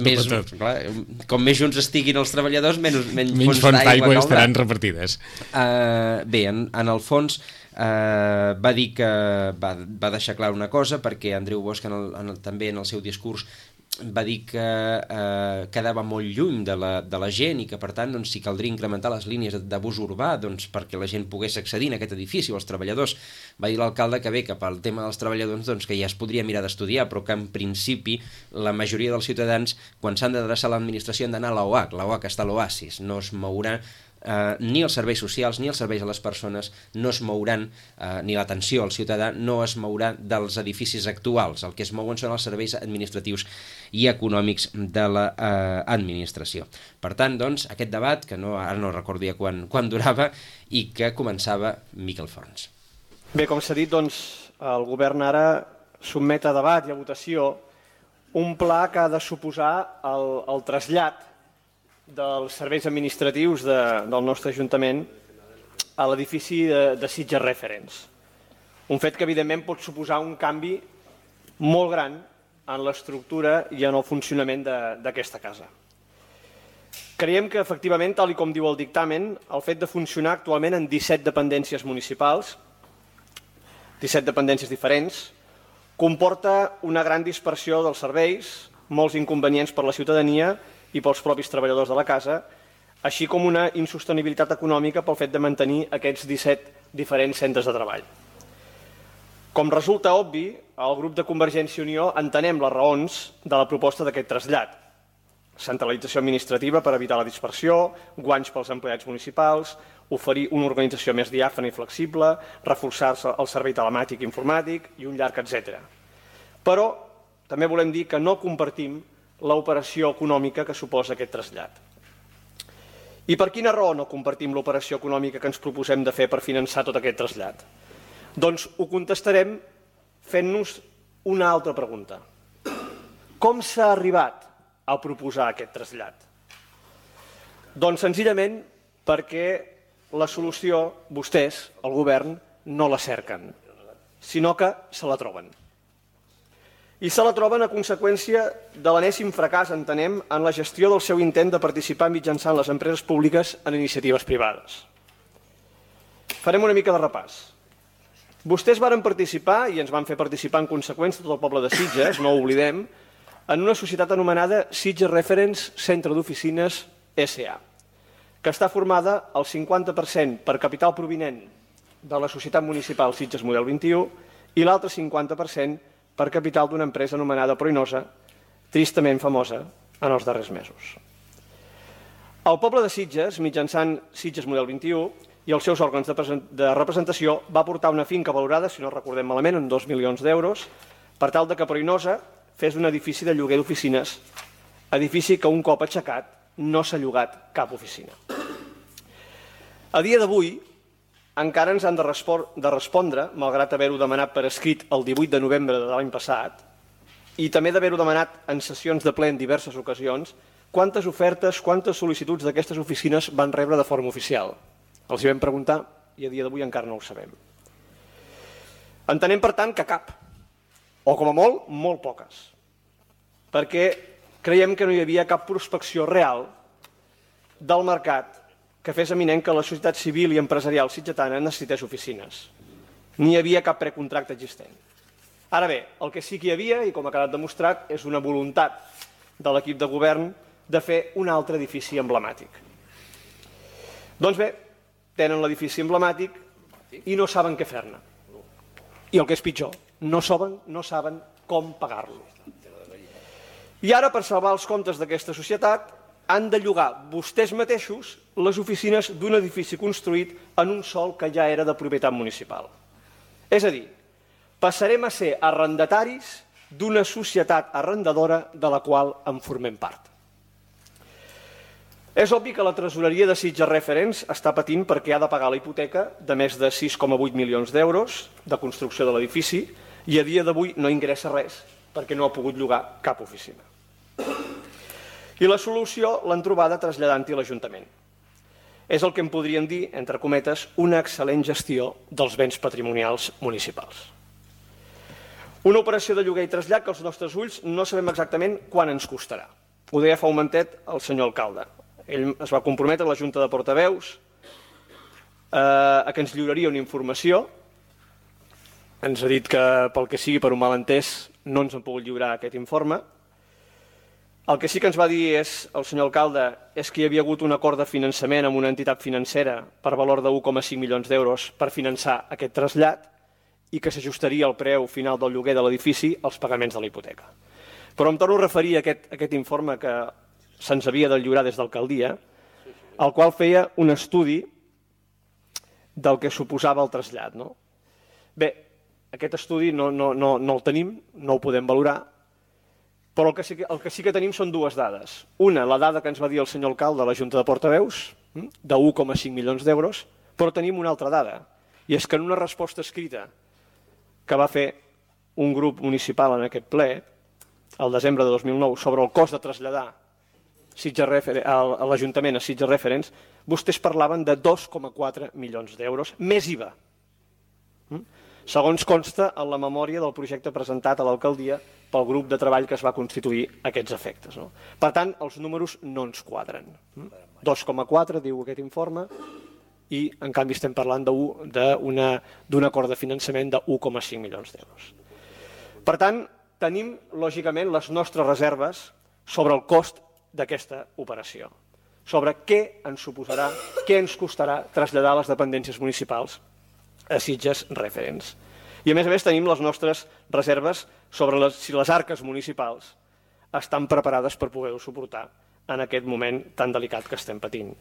junts estiguin els treballadors, menys fonts d'aigua estaran repartides. Bé, en el fons va dir que va deixar clar una cosa, perquè Andreu Bosch també en el seu discurs va dir que quedava molt lluny de la gent i que, per tant, doncs, si caldria incrementar les línies de bus urbà doncs, perquè la gent pogués accedir en aquest edifici o els treballadors. Va dir l'alcalde que bé, que pel tema dels treballadors doncs, que ja es podria mirar d'estudiar, però que en principi la majoria dels ciutadans, quan s'han d'adreçar a l'administració, han d'anar a l'OAC. L'OAC està a l'Oasis, no es mourà ni els serveis socials ni els serveis a les persones no es mouran, ni l'atenció al ciutadà no es mourà dels edificis actuals. El que es mouen són els serveis administratius i econòmics de l'administració. Per tant, doncs, aquest debat, que ara no recordia quan durava, i que començava Miquel Forns. Bé, com s'ha dit, doncs, el govern ara sotmet a debat i a votació un pla que ha de suposar el trasllat dels serveis administratius del nostre Ajuntament a l'edifici de Sitges Reference. Un fet que, evidentment, pot suposar un canvi molt gran en l'estructura i en el funcionament d'aquesta casa. Creiem que, efectivament, tal com diu el dictamen, el fet de funcionar actualment en 17 dependències municipals, 17 dependències diferents, comporta una gran dispersió dels serveis, molts inconvenients per la ciutadania i pels propis treballadors de la casa, així com una insostenibilitat econòmica pel fet de mantenir aquests 17 diferents centres de treball. Com resulta obvi, el grup de Convergència i Unió entenem les raons de la proposta d'aquest trasllat. Centralització administrativa per evitar la dispersió, guanys pels empleats municipals, oferir una organització més diàfana i flexible, reforçar el servei telemàtic i informàtic i un llarg etcètera. Però també volem dir que no compartim l'operació econòmica que suposa aquest trasllat. I per quina raó no compartim l'operació econòmica que ens proposem de fer per finançar tot aquest trasllat? Doncs ho contestarem fent-nos una altra pregunta. Com s'ha arribat a proposar aquest trasllat? Doncs senzillament perquè la solució vostès, el govern, no la cerquen, sinó que se la troben. I se la troben a conseqüència de l'enèsim fracàs, entenem, en la gestió del seu intent de participar mitjançant les empreses públiques en iniciatives privades. Farem una mica de repàs. Vostès varen participar, i ens van fer participar en conseqüència tot el poble de Sitges, no ho oblidem, en una societat anomenada Sitges Reference Centre d'Oficines S.A., que està formada al 50% per capital provinent de la Societat Municipal Sitges Model 21 i l'altre 50% per capital d'una empresa anomenada Proinosa, tristament famosa en els darrers mesos. El poble de Sitges, mitjançant Sitges Model 21 i els seus òrgans de representació, va portar una finca valorada, si no recordem malament, en 2 milions d'euros, per tal que Proinosa fes un edifici de lloguer d'oficines, edifici que un cop aixecat no s'ha llogat cap oficina. A dia d'avui, encara ens han de respondre, malgrat haver-ho demanat per escrit el 18 de novembre de l'any passat, i també d'haver-ho demanat en sessions de ple en diverses ocasions, quantes ofertes, quantes sol·licituds d'aquestes oficines van rebre de forma oficial. Els hi vam preguntar i a dia d'avui encara no ho sabem. Entenem, per tant, que cap, o com a molt, molt poques, perquè creiem que no hi havia cap prospecció real del mercat que fes eminent que la societat civil i empresarial sitgetana necessités oficines. Ni hi havia cap precontracte existent. Ara bé, el que sí que hi havia, i com ha quedat demostrat, és una voluntat de l'equip de govern de fer un altre edifici emblemàtic. Doncs bé, tenen l'edifici emblemàtic i no saben què fer-ne. I el que és pitjor, no saben com pagar-lo. I ara, per salvar els comptes d'aquesta societat, han de llogar vostès mateixos les oficines d'un edifici construït en un sòl que ja era de propietat municipal. És a dir, passarem a ser arrendataris d'una societat arrendadora de la qual en formem part. És obvi que la tresoreria de Sitges Reference està patint perquè ha de pagar la hipoteca de més de 6,8 milions d'euros de construcció de l'edifici i a dia d'avui no ingressa res perquè no ha pogut llogar cap oficina. I la solució l'han trobada traslladant-hi a l'Ajuntament. És el que en podríem dir, entre cometes, una excel·lent gestió dels béns patrimonials municipals. Una operació de lloguer i trasllat que als nostres ulls no sabem exactament quan ens costarà. Ho deia fa un momentet el senyor alcalde. Ell es va comprometre a la Junta de Portaveus a que ens lliuraria una informació. Ens ha dit que, pel que sigui, per un malentès, no ens han pogut lliurar aquest informe. El que sí que ens va dir el senyor alcalde és que hi havia hagut un acord de finançament amb una entitat financera per valor de 1,5 milions d'euros per finançar aquest trasllat i que s'ajustaria el preu final del lloguer de l'edifici als pagaments de la hipoteca. Però em torno a referir a aquest informe que se'ns havia de lliurar des d'alcaldia, el qual feia un estudi del que suposava el trasllat. Bé, aquest estudi no el tenim, no el podem valorar, però el que sí que tenim són dues dades. Una, la dada que ens va dir el senyor alcalde de la Junta de Portaveus, de 1,5 milions d'euros, però tenim una altra dada, i és que en una resposta escrita que va fer un grup municipal en aquest ple, al desembre de 2009, sobre el cost de traslladar a l'Ajuntament a Sitges Referents, vostès parlaven de 2,4 milions d'euros, més IVA. Segons consta en la memòria del projecte presentat a l'alcaldia pel grup de treball que es va constituir a aquests efectes. Per tant, els números no ens quadren. 2,4 diu aquest informe i en canvi estem parlant d'un acord de finançament de 1,5 milions d'euros. Per tant, tenim lògicament les nostres reserves sobre el cost d'aquesta operació, sobre què ens suposarà, què ens costarà traslladar les dependències municipals a Sitges Referents. I a més tenim les nostres reserves sobre si les arques municipals estan preparades per poder-ho suportar en aquest moment tan delicat que estem patint.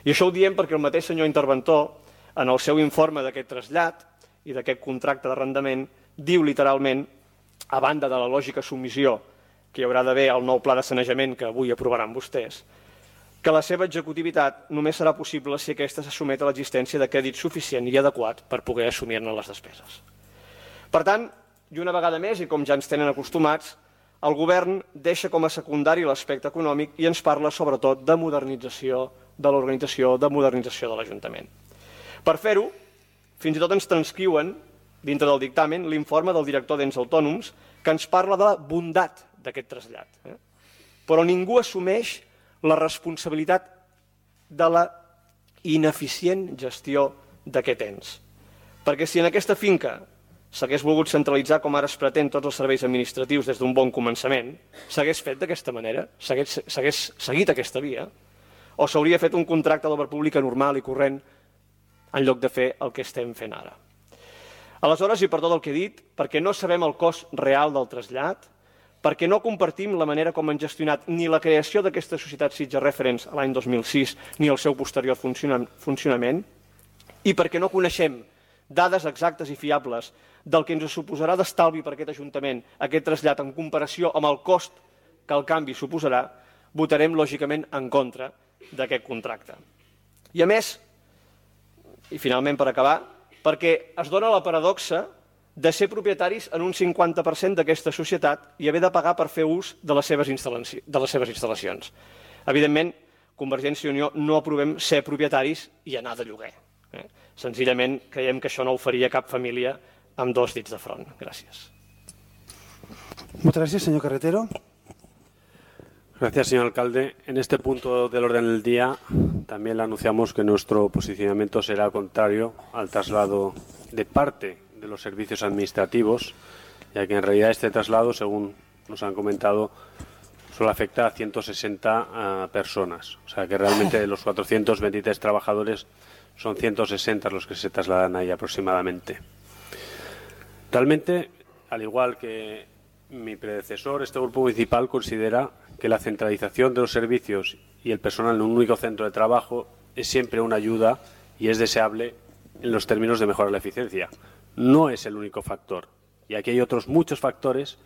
I això ho diem perquè el mateix senyor interventor, en el seu informe d'aquest trasllat i d'aquest contracte d'arrendament, diu literalment, a banda de la lògica submissió que hi haurà d'haver al nou pla de sanejament que avui aprovaran vostès, que la seva executivitat només serà possible si aquesta se sotmet a l'existència de crèdit suficient i adequat per poder assumir-ne les despeses. Per tant, i una vegada més, i com ja ens tenen acostumats, el govern deixa com a secundari l'aspecte econòmic i ens parla sobretot de modernització de l'organització, de modernització de l'Ajuntament. Per fer-ho, fins i tot ens transcriuen, dintre del dictamen, l'informe del director d'ens autònoms que ens parla de la bondat d'aquest trasllat. Però ningú assumeix la responsabilitat de la ineficient gestió d'aquest ens. Perquè si en aquesta finca s'hagués volgut centralitzar com ara es pretén tots els serveis administratius des d'un bon començament, s'hagués fet d'aquesta manera, s'hagués seguit aquesta via, o s'hauria fet un contracte d'obra pública normal i corrent en lloc de fer el que estem fent ara. Aleshores, i per tot el que he dit, perquè no sabem el cost real del trasllat, perquè no compartim la manera com han gestionat ni la creació d'aquesta societat Sitges Referents l'any 2006 ni el seu posterior funcionament, i perquè no coneixem dades exactes i fiables del que ens suposarà d'estalvi per aquest Ajuntament aquest trasllat en comparació amb el cost que el canvi suposarà, votarem lògicament en contra d'aquest contracte. I a més, i finalment per acabar, perquè es dona la paradoxa de ser propietaris en un 50% d'aquesta societat i haver de pagar per fer ús de les seves instal·lacions. Evidentment, Convergència i Unió no aprovem ser propietaris i anar de lloguer. Senzillament creiem que això no ho faria cap família amb dos dits de front. Gràcies. Muchas gracias, señor Carretero. Gracias, señor alcalde. En este punto del orden del día también le anunciamos que nuestro posicionamiento será contrario al traslado de parte de los servicios administrativos, ya que en realidad este traslado, según nos han comentado, solo afecta a 160 personas. O sea que realmente de los 423 trabajadores son 160 los que se trasladan ahí aproximadamente. Realmente, al igual que mi predecesor, este grupo municipal considera que la centralización de los servicios y el personal en un único centro de trabajo es siempre una ayuda y es deseable en los términos de mejorar la eficiencia. No es el único factor. Y aquí hay otros muchos factores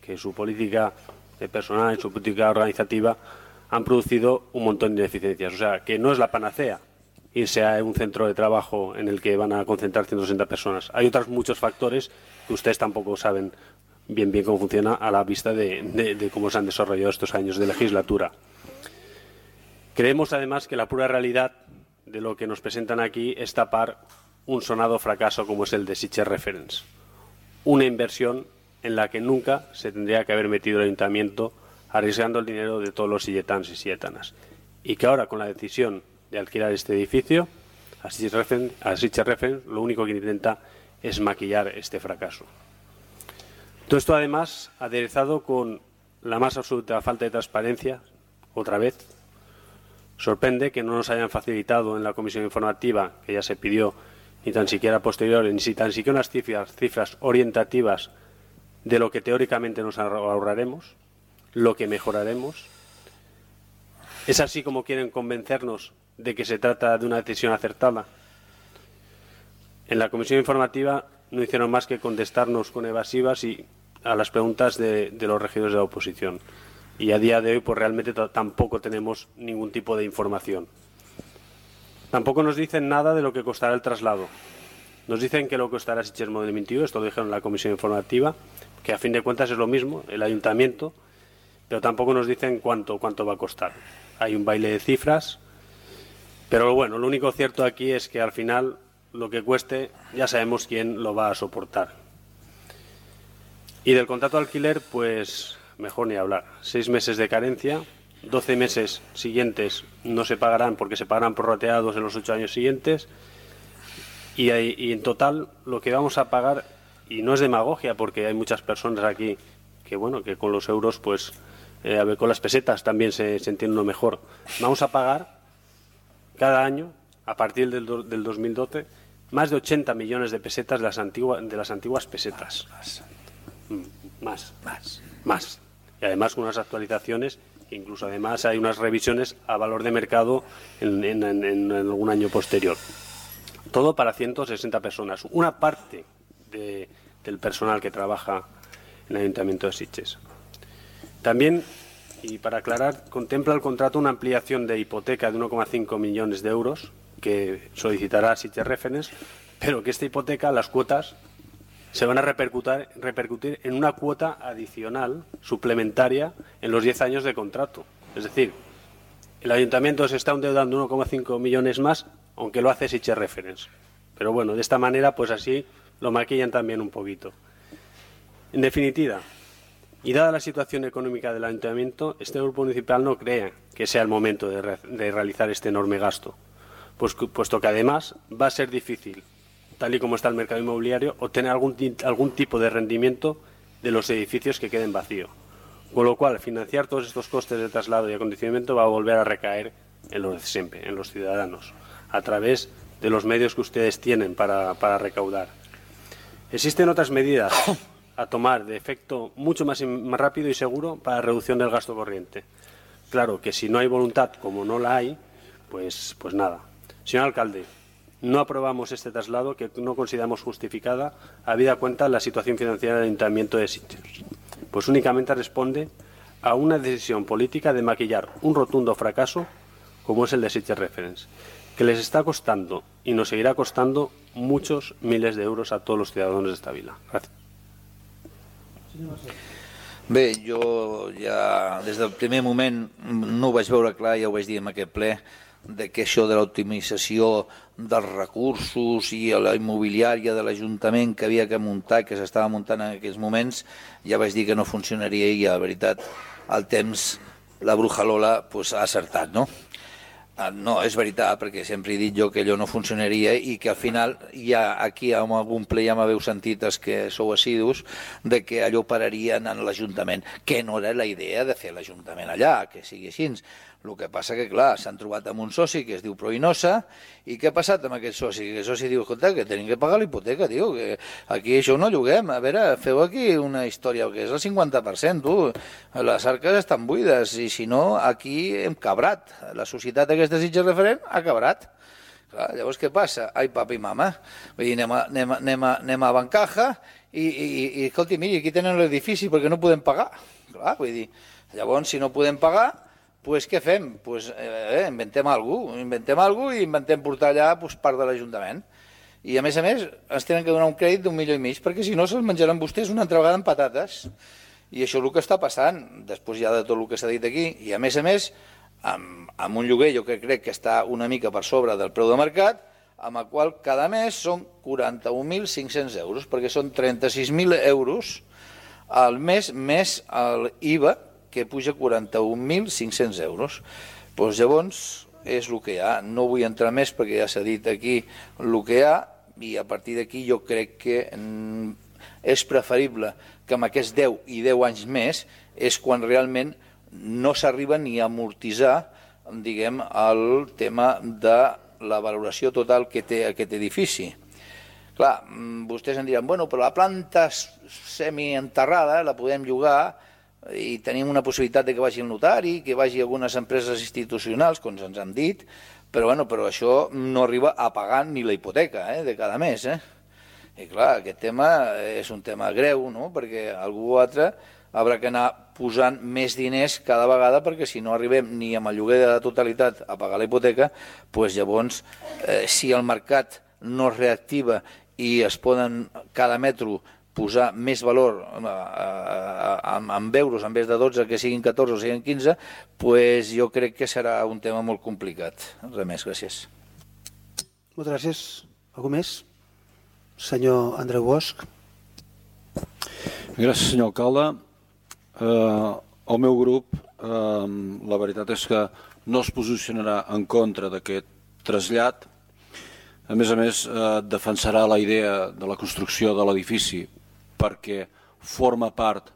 que su política de personal y su política organizativa han producido un montón de ineficiencias. O sea, que no es la panacea irse a un centro de trabajo en el que van a concentrar 160 personas. Hay otros muchos factores que ustedes tampoco saben bien cómo funciona a la vista de cómo se han desarrollado estos años de legislatura. Creemos además que la pura realidad de lo que nos presentan aquí es tapar un sonado fracaso como es el de Sitges Referents. Una inversión en la que nunca se tendría que haber metido el ayuntamiento arriesgando el dinero de todos los silletanos y silletanas. Y que ahora con la decisión de alquilar este edificio a Sitges Referents lo único que intenta es maquillar este fracaso. Todo esto además aderezado con la más absoluta falta de transparencia, otra vez. Sorprende que no nos hayan facilitado en la comisión informativa, que ya se pidió, ni tan siquiera posteriores, ni tan siquiera unas cifras orientativas de lo que teóricamente nos ahorraremos, lo que mejoraremos. Es así como quieren convencernos de que se trata de una decisión acertada. En la comisión informativa no hicieron más que contestarnos con evasivas y a las preguntas de los regidores de la oposición. Y a día de hoy pues realmente tampoco tenemos ningún tipo de información. Tampoco nos dicen nada de lo que costará el traslado. Nos dicen que lo costará Sitges Model 21, esto lo dijeron en la comisión informativa, que a fin de cuentas es lo mismo, el ayuntamiento, pero tampoco nos dicen cuánto va a costar. Hay un baile de cifras, pero bueno, lo único cierto aquí es que al final lo que cueste ya sabemos quién lo va a soportar. Y del contrato de alquiler, pues mejor ni hablar. 6 meses de carencia, 12 meses siguientes no se pagarán porque se pagarán prorrateados en los 8 años siguientes y en total lo que vamos a pagar, y no es demagogia porque hay muchas personas aquí que bueno, que con los euros pues a ver, con las pesetas también se entiende uno mejor. Vamos a pagar cada año a partir del 2012 más de 80 millones de pesetas de las antiguas pesetas. Más. Y además con unas actualizaciones, incluso además hay unas revisiones a valor de mercado en algún año posterior. Todo para 160 personas, una parte del personal que trabaja en el Ayuntamiento de Sitges. También, y para aclarar, contempla el contrato una ampliación de hipoteca de 1,5 millones de euros que solicitará Sitges Reference, pero que esta hipoteca, las cuotas, se van a repercutir en una cuota adicional, suplementaria, en los 10 años de contrato. Es decir, el Ayuntamiento se está endeudando 1,5 millones más, aunque lo hace Sitges Reference. Pero bueno, de esta manera, pues así lo maquillan también un poquito. En definitiva, y dada la situación económica del Ayuntamiento, este grupo municipal no cree que sea el momento de realizar este enorme gasto, puesto que además va a ser difícil, tal y como está el mercado inmobiliario, obtener algún tipo de rendimiento de los edificios que queden vacíos. Con lo cual, financiar todos estos costes de traslado y acondicionamiento va a volver a recaer en los de siempre, en los ciudadanos, a través de los medios que ustedes tienen para recaudar. Existen otras medidas a tomar de efecto mucho más rápido y seguro para la reducción del gasto corriente. Claro que si no hay voluntad, como no la hay, pues nada. Señor alcalde, no aprobamos este traslado que no consideramos justificada, habida cuenta la situación financiera del Ayuntamiento de Sitges. Pues únicamente responde a una decisión política de maquillar un rotundo fracaso como es el de Sitges Reference, que les está costando y nos seguirá costando muchos miles de euros a todos los ciudadanos de esta vila. Gracias. Bé, jo ja des del primer moment no ho vaig veure clar, ja ho vaig dir en aquest ple, de que això de l'optimització dels recursos i la immobiliària de l'Ajuntament que havia que muntar, que s'estava muntant en aquells moments, ja vaig dir que no funcionaria i la veritat, al temps, la bruja Lola pues, ha acertat, no? No, és veritat, perquè sempre he dit jo que allò no funcionaria i que al final ja aquí en algun ple ja m'haveu sentit els que sou assidus de que allò pararien en l'Ajuntament, que no era la idea de fer l'Ajuntament allà, que sigui així. El que passa que, clar, s'han trobat amb un soci que es diu Proinosa i què ha passat amb aquest soci? Que el soci diu, escolta, que tenim que pagar la hipoteca, tio, que aquí això no lloguem. A veure, feu aquí una història, que és el 50%, tu. Les arques estan buides i, si no, aquí hem cabrat. La societat aquesta Sitges Referent ha cabrat. Clar, llavors què passa? Ai, papa i mama. Vull dir, anem a Bancaja i escolti, miri, aquí tenen l'edifici perquè no podem pagar. Clar, vull dir, llavors, si no podem pagar, pues què fem? Pues, inventem alguna cosa i inventem portar allà pues, part de l'Ajuntament. I a més, ens tenen que donar un crèdit d'1,5 milions, perquè si no se'ls menjaran vostès una altra vegada amb patates. I això és el que està passant, després ja de tot el que s'ha dit aquí. I a més, amb un lloguer jo crec que està una mica per sobre del preu de mercat, amb el qual cada mes són 41.500 euros, perquè són 36.000 euros al mes més l'IVA, que puja 41.500 euros. Doncs llavors és el que hi ha. No vull entrar més perquè ja s'ha dit aquí el que hi ha i a partir d'aquí jo crec que és preferible que amb aquests 10 i 10 anys més és quan realment no s'arriba ni a amortitzar, diguem, el tema de la valoració total que té aquest edifici. Clar, vostès em diran, bueno, però la planta semienterrada la podem llogar i tenim una possibilitat de que vagi el notari, que vagi a algunes empreses institucionals, com ens han dit, però això no arriba a pagar ni la hipoteca de cada mes. I clar, aquest tema és un tema greu, no? Perquè algú altre haurà d'anar posant més diners cada vegada, perquè si no arribem ni amb el lloguer de la totalitat a pagar la hipoteca, doncs llavors, si el mercat no es reactiva i es poden cada metro posar més valor en euros, en vez de 12, que siguin 14 o siguin 15, doncs jo crec que serà un tema molt complicat. Res més, gràcies. Moltes gràcies. Algú més? Senyor Andreu Bosch. Gràcies, senyor alcalde. El meu grup, la veritat és que no es posicionarà en contra d'aquest trasllat. A més, defensarà la idea de la construcció de l'edifici perquè forma part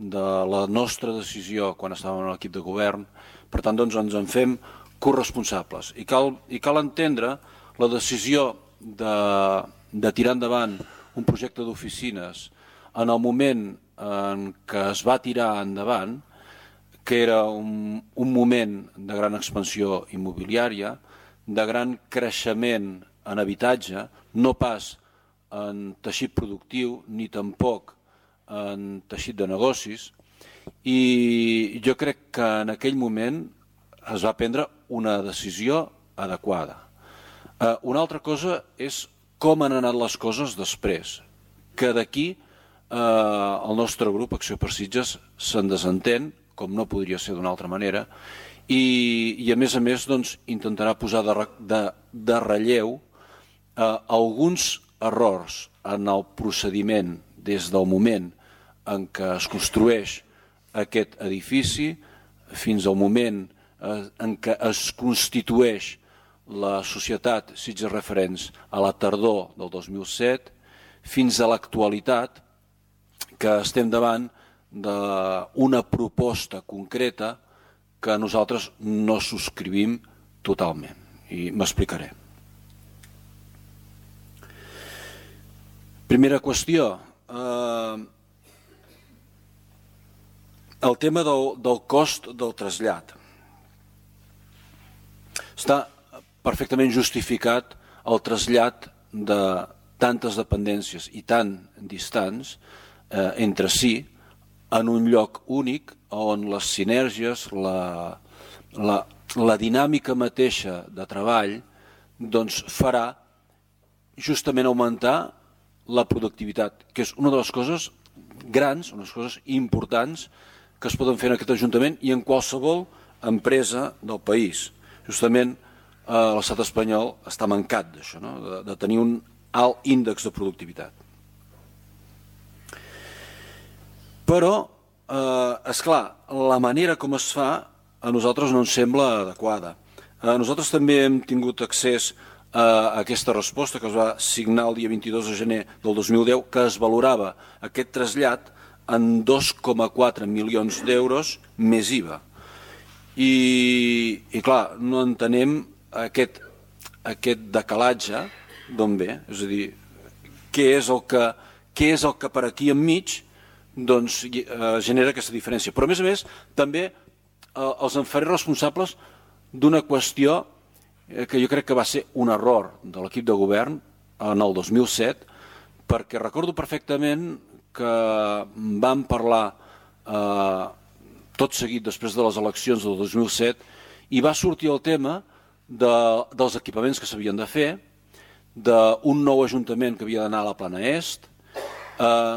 de la nostra decisió quan estàvem en l'equip de govern. Per tant, doncs, ens en fem corresponsables. I cal entendre la decisió de tirar endavant un projecte d'oficines en el moment en què es va tirar endavant, que era un moment de gran expansió immobiliària, de gran creixement en habitatge, no pas en teixit productiu ni tampoc en teixit de negocis, i jo crec que en aquell moment es va prendre una decisió adequada. Una altra cosa és com han anat les coses després, que d'aquí el nostre grup Acció per Sitges se'n desentén, com no podria ser d'una altra manera, i a més doncs, intentarà posar de relleu alguns errors en el procediment des del moment en què es construeix aquest edifici fins al moment en què es constitueix la societat Sitges Referents a la tardor del 2007 fins a l'actualitat, que estem davant d'una proposta concreta que nosaltres no subscrivim totalment, i m'explicaré. Primera qüestió, el tema del cost del trasllat. Està perfectament justificat el trasllat de tantes dependències i tan distants entre si en un lloc únic on les sinergies, la dinàmica mateixa de treball doncs farà justament augmentar la productivitat, que és una de les coses grans, unes coses importants que es poden fer en aquest Ajuntament i en qualsevol empresa del país. Justament l'estat espanyol està mancat d'això, de tenir un alt índex de productivitat. Però, esclar, la manera com es fa a nosaltres no ens sembla adequada. Nosaltres també hem tingut accés a aquesta resposta que es va signar el dia 22 de gener del 2010, que es valorava aquest trasllat en 2,4 milions d'euros més IVA. I clar, no entenem aquest decalatge d'on ve, és a dir, què és el que per aquí enmig genera aquesta diferència. Però a més, també els en faré responsables d'una qüestió que jo crec que va ser un error de l'equip de govern en el 2007, perquè recordo perfectament que vam parlar tot seguit després de les eleccions del 2007 i va sortir el tema dels equipaments que s'havien de fer, d'un nou ajuntament que havia d'anar a la Plana Est.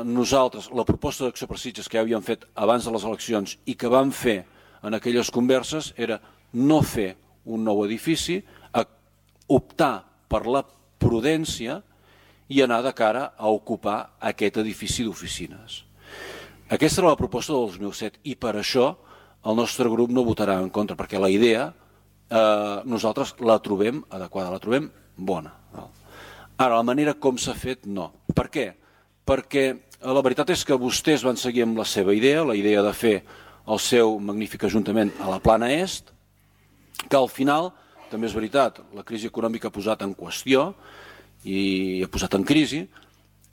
Nosaltres, la proposta d'Acció per Sitges que ja havíem fet abans de les eleccions i que vam fer en aquelles converses era no fer un nou edifici, optar per la prudència i anar de cara a ocupar aquest edifici d'oficines. Aquesta era la proposta del 2007 i per això el nostre grup no votarà en contra, perquè la idea nosaltres la trobem adequada, la trobem bona. Ara, la manera com s'ha fet, no. Per què? Perquè la veritat és que vostès van seguir amb la seva idea, la idea de fer el seu magnífic ajuntament a la Plana Est, que al final, també és veritat, la crisi econòmica ha posat en qüestió i ha posat en crisi,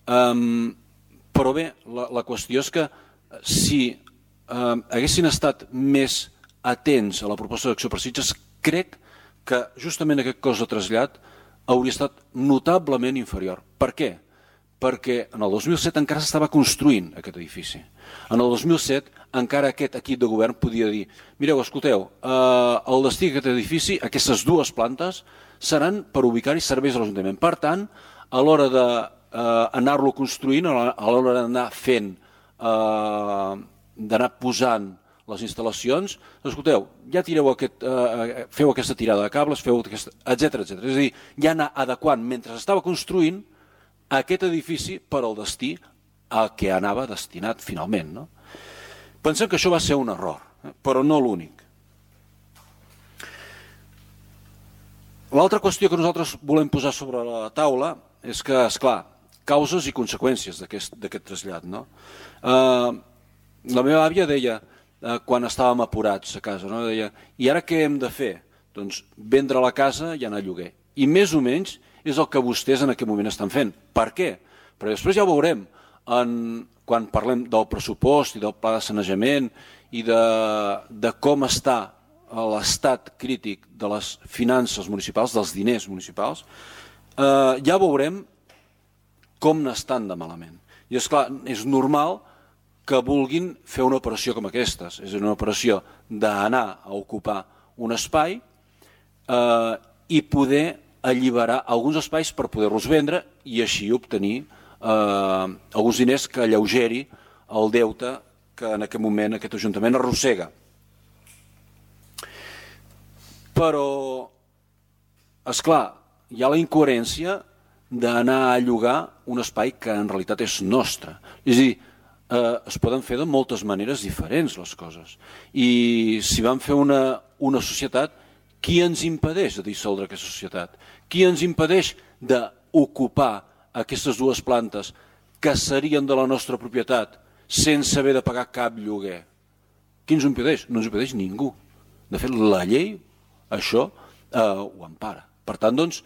però bé, la qüestió és que si haguessin estat més atents a la proposta d'Acció per Sitges, crec que justament aquest cost de trasllat hauria estat notablement inferior. Per què? Perquè en el 2007 encara s'estava construint aquest edifici. En el 2007 encara aquest equip de govern podia dir: mireu, escolteu, el destí d'aquest edifici, aquestes dues plantes, seran per ubicar-hi serveis a l'Ajuntament. Per tant, a l'hora d'anar-lo construint, a l'hora d'anar fent, d'anar posant les instal·lacions, escolteu, ja feu aquesta tirada de cables, etc. És a dir, ja anar adequant mentre s'estava construint aquest edifici per al destí a què anava destinat finalment. No? Pensem que això va ser un error, però no l'únic. L'altra qüestió que nosaltres volem posar sobre la taula és que, esclar, causes i conseqüències d'aquest trasllat. No? La meva àvia deia, quan estàvem apurats a casa, no? Deia: i ara què hem de fer? Doncs vendre la casa i anar a lloguer. I més o menys és el que vostès en aquest moment estan fent. Per què? Perquè després ja ho veurem, quan parlem del pressupost i del pla de sanejament i de com està l'estat crític de les finances municipals, dels diners municipals, ja veurem com n'estan de malament. I és clar, és normal que vulguin fer una operació com aquestes, és una operació d'anar a ocupar un espai i poder alliberar alguns espais per poder-los vendre i així obtenir alguns diners que alleugeri el deute que en aquest moment aquest Ajuntament arrossega. Però, esclar, hi ha la incoherència d'anar a llogar un espai que en realitat és nostre. És a dir, es poden fer de moltes maneres diferents les coses. I si vam fer una societat, qui ens impedeix de dissoldre aquesta societat? Qui ens impedeix d'ocupar aquestes dues plantes que serien de la nostra propietat sense haver de pagar cap lloguer? Qui ens ho impedeix? No ens ho impedeix ningú. De fet, la llei això ho empara. Per tant, doncs,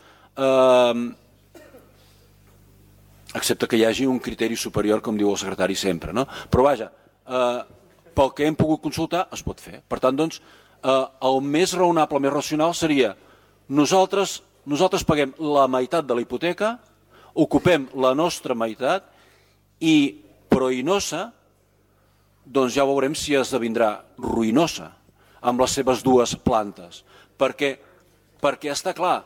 excepte que hi hagi un criteri superior, com diu el secretari sempre. No? Però vaja, pel que hem pogut consultar es pot fer. Per tant, doncs, el més raonable, més racional seria nosaltres paguem la meitat de la hipoteca, ocupem la nostra meitat i Proinosa, doncs ja veurem si esdevindrà ruïnosa amb les seves dues plantes. Perquè està clar,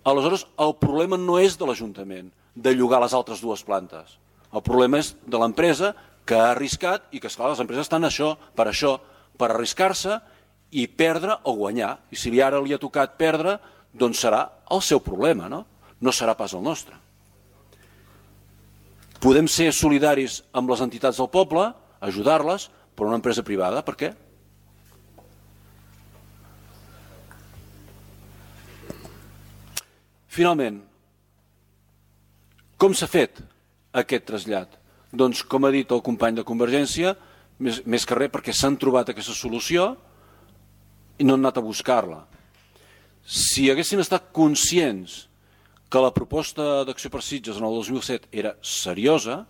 aleshores el problema no és de l'Ajuntament de llogar les altres dues plantes. El problema és de l'empresa que ha arriscat i que, esclar, les empreses estan per arriscar-se i perdre o guanyar. I si ara li ha tocat perdre, doncs serà el seu problema, no serà pas el nostre. Podem ser solidaris amb les entitats del poble, ajudar-les, però una empresa privada, per què? Finalment, com s'ha fet aquest trasllat? Doncs, com ha dit el company de Convergència, més que res perquè s'han trobat aquesta solució i no han anat a buscar-la. Si haguessin estat conscients que la proposta d'Acció per Sitges en el 2007 era seriosa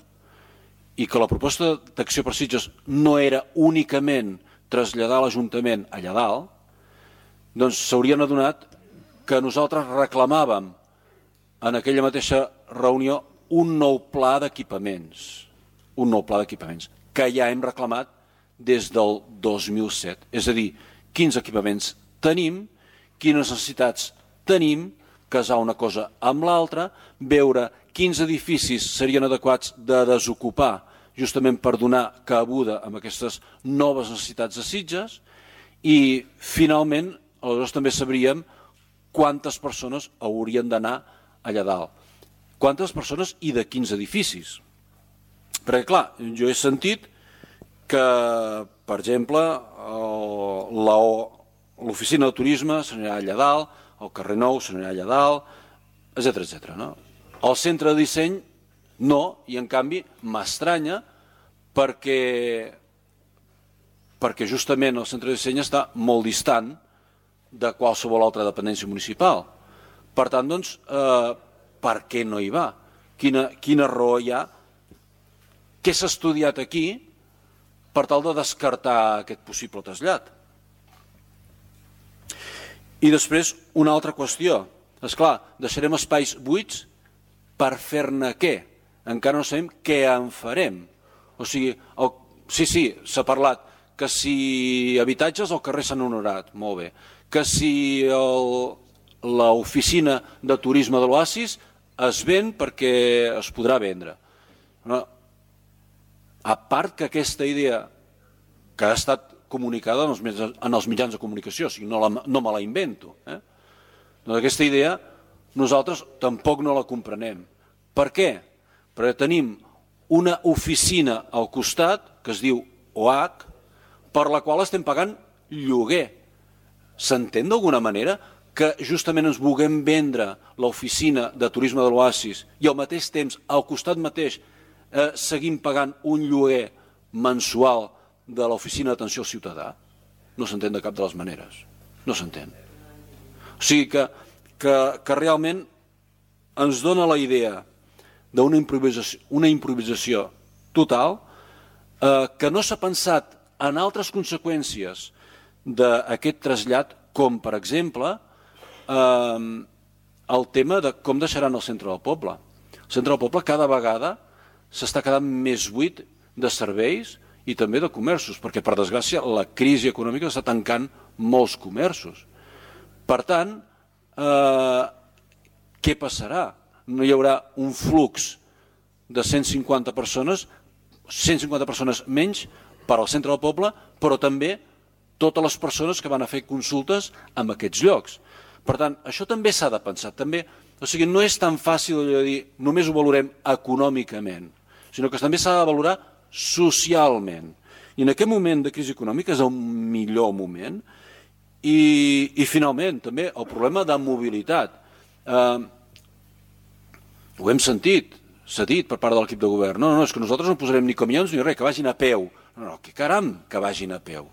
i que la proposta d'Acció per Sitges no era únicament traslladar l'Ajuntament allà dalt, doncs s'haurien adonat que nosaltres reclamàvem en aquella mateixa reunió un nou pla d'equipaments, que ja hem reclamat des del 2007. És a dir, quins equipaments tenim, quines necessitats tenim, casar una cosa amb l'altra, veure quins edificis serien adequats de desocupar justament per donar cabuda a aquestes noves necessitats de Sitges i, finalment, aleshores també sabríem quantes persones haurien d'anar allà dalt. Quantes persones i de quins edificis? Perquè, clar, jo he sentit que, per exemple, l'oficina de turisme s'anirà allà dalt, el carrer Nou s'anirà allà dalt, etc. No? El centre de disseny no, i en canvi m'estranya perquè justament el centre de disseny està molt distant de qualsevol altra dependència municipal. Per tant, doncs, per què no hi va? Quina raó hi ha? Què s'ha estudiat aquí per tal de descartar aquest possible trasllat. I després, una altra qüestió. Esclar, deixarem espais buits per fer-ne què? Encara no sabem què en farem. O sigui, sí, s'ha parlat que si habitatges al carrer Sant Honorat, molt bé, que si l'oficina de turisme de l'Oasis es ven perquè es podrà vendre. A part que aquesta idea que ha estat comunicada en els mitjans de comunicació, o sigui, no me la invento. Doncs aquesta idea nosaltres tampoc no la comprenem. Per què? Perquè tenim una oficina al costat que es diu OH, per la qual estem pagant lloguer. S'entén d'alguna manera que justament ens vulguem vendre l'oficina de turisme de l'Oasis i al mateix temps, al costat mateix, seguim pagant un lloguer mensual de l'oficina d'atenció al ciutadà? No s'entén de cap de les maneres. No s'entén. O sigui que realment ens dona la idea d'una improvisació total que no s'ha pensat en altres conseqüències d'aquest trasllat, com per exemple el tema de com deixaran el centre del poble. El centre del poble cada vegada s'està quedant més buit de serveis i també de comerços, perquè per desgràcia la crisi econòmica està tancant molts comerços. Per tant, què passarà? No hi haurà un flux de 150 persones menys per al centre del poble, però també totes les persones que van a fer consultes en aquests llocs. Per tant, això també s'ha de pensar. O sigui, no és tan fàcil de dir només ho valorem econòmicament, sinó que també s'ha de valorar socialment. I en aquest moment de crisi econòmica és el millor moment. I finalment, també, el problema de mobilitat. Ho hem sentit, s'ha dit per part de l'equip de govern. No, és que nosaltres no posarem ni camions ni res, que vagin a peu. No, que caram, que vagin a peu.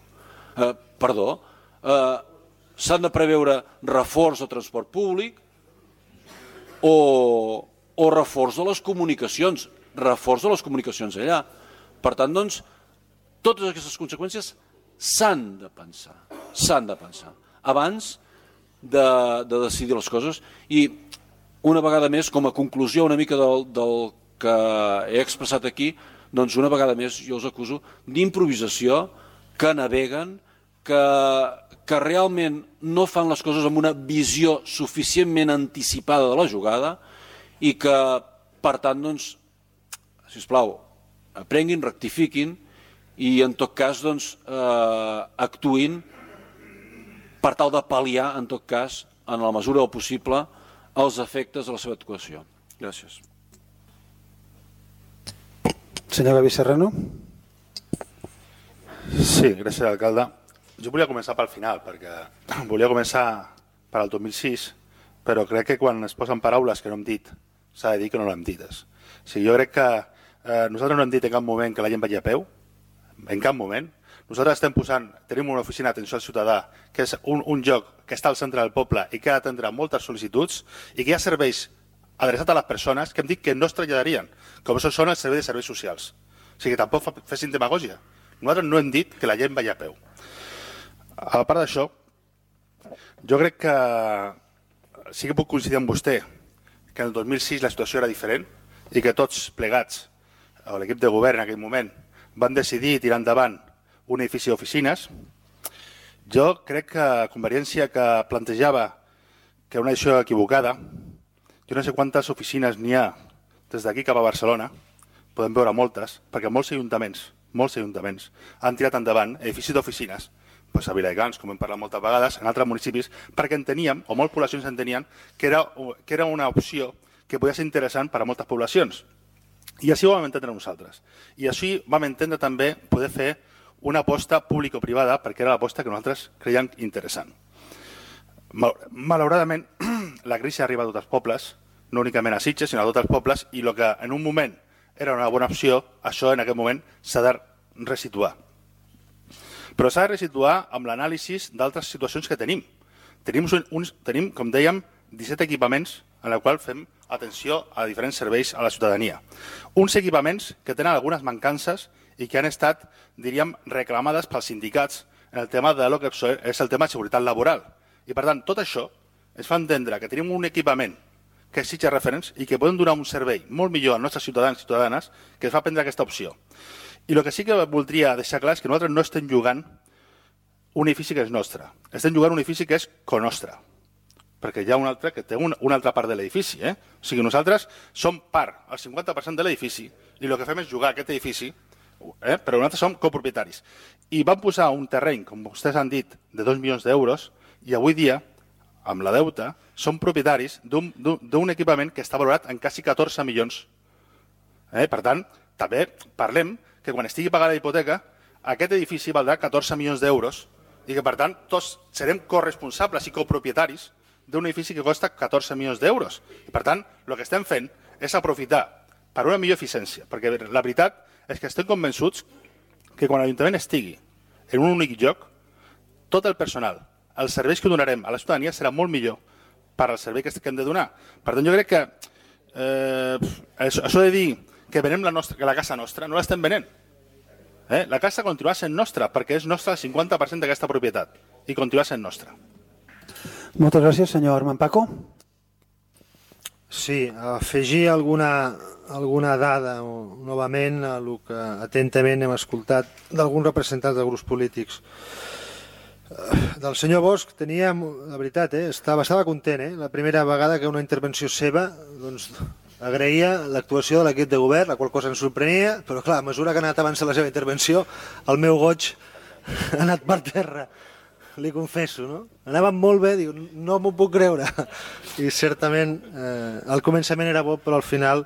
Perdó, s'han de preveure reforç de transport públic o reforç de les comunicacions, allà. Per tant, doncs, totes aquestes conseqüències s'han de pensar abans de decidir les coses. I una vegada més, com a conclusió una mica del que he expressat aquí, doncs una vegada més jo els acuso d'improvisació, que naveguen, que realment no fan les coses amb una visió suficientment anticipada de la jugada i que, per tant, doncs, sisplau, aprenguin, rectifiquin i, en tot cas, doncs, actuïn per tal de pal·liar, en tot cas, en la mesura del possible, els efectes de la seva actuació. Gràcies. Senyor Gavi Serrano. Sí, gràcies, alcalde. Jo volia començar pel final, perquè volia començar per al 2006, però crec que quan es posen paraules que no hem dit, s'ha de dir que no l'hem dites. O sigui, jo crec que nosaltres no hem dit en cap moment que la gent vagi a peu, en cap moment. Nosaltres tenim una oficina d'atenció al ciutadà, que és un lloc que està al centre del poble i que ha d'atendre moltes sol·licituds i que hi ha serveis adreçats a les persones que hem dit que no es traslladarien, com això són els serveis de serveis socials. O sigui, tampoc fessin demagògia. Nosaltres no hem dit que la gent vagi a peu. A part d'això, jo crec que sí que puc coincidir amb vostè que en el 2006 la situació era diferent i que tots plegats, o l'equip de govern en aquell moment, van decidir tirar endavant un edifici d'oficines. Jo crec que Convergència, que plantejava que una decisió equivocada, jo no sé quantes oficines n'hi ha des d'aquí cap a Barcelona, podem veure moltes, perquè molts ajuntaments han tirat endavant edificis d'oficines, a Viladecans, com hem parlat moltes vegades, en altres municipis, perquè enteníem, o moltes poblacions entenien, que era una opció que podia ser interessant per a moltes poblacions. I així ho vam entendre nosaltres. I així vam entendre també poder fer una aposta público-privada, perquè era l'aposta que nosaltres creiem interessant. Malauradament, la crisi arriba a tots els pobles, no únicament a Sitges, sinó a tots els pobles, i el que en un moment era una bona opció, això en aquest moment s'ha de resituar. Però s'ha de resituar amb l'anàlisi d'altres situacions que tenim. Tenim, com dèiem, 17 equipaments en els quals fem atenció a diferents serveis a la ciutadania. Uns equipaments que tenen algunes mancances i que han estat, diríem, reclamades pels sindicats en el tema de lo que és el tema de seguretat laboral. I, per tant, tot això ens fa entendre que tenim un equipament que és Sitges Reference i que podem donar un servei molt millor als nostres ciutadans i ciutadanes que ens fa prendre aquesta opció. I el que sí que voldria deixar clar és que nosaltres no estem jugant un edifici que és nostre. Estem jugant un edifici que és conostre, perquè hi ha un altre que té una altra part de l'edifici. O sigui, nosaltres som part, el 50% de l'edifici, i el que fem és jugar a aquest edifici, però nosaltres som copropietaris. I vam posar un terreny, com vostès han dit, de 2 milions d'euros, i avui dia, amb la deuta, som propietaris d'un equipament que està valorat en quasi 14 milions. Per tant, també parlem que quan estigui pagada la hipoteca, aquest edifici valdrà 14 milions d'euros i que, per tant, tots serem corresponsables i copropietaris d'un edifici que costa 14 milions d'euros. I, per tant, el que estem fent és aprofitar per una millor eficiència, perquè la veritat és que estem convençuts que quan l'Ajuntament estigui en un únic lloc, tot el personal, els serveis que donarem a la ciutadania serà molt millor per al servei que hem de donar. Per tant, jo crec que això de dir que venem la casa nostra, no l'estem venent. La casa continuarà sent nostra, perquè és nostra el 50% d'aquesta propietat, i continuarà sent nostra. Moltes gràcies, senyor Armand Paco. Sí, afegir alguna dada novament a el que atentament hem escoltat d'alguns representants de grups polítics. Del senyor Bosch tenia, la veritat, estava content. La primera vegada que una intervenció seva agraïa l'actuació de l'equip de govern, la qual cosa ens sorprenia, però clar, a mesura que ha anat avançant la seva intervenció, el meu goig ha anat per terra, li confesso, no? Anava molt bé, dic, no m'ho puc creure. I certament al començament era bo, però al final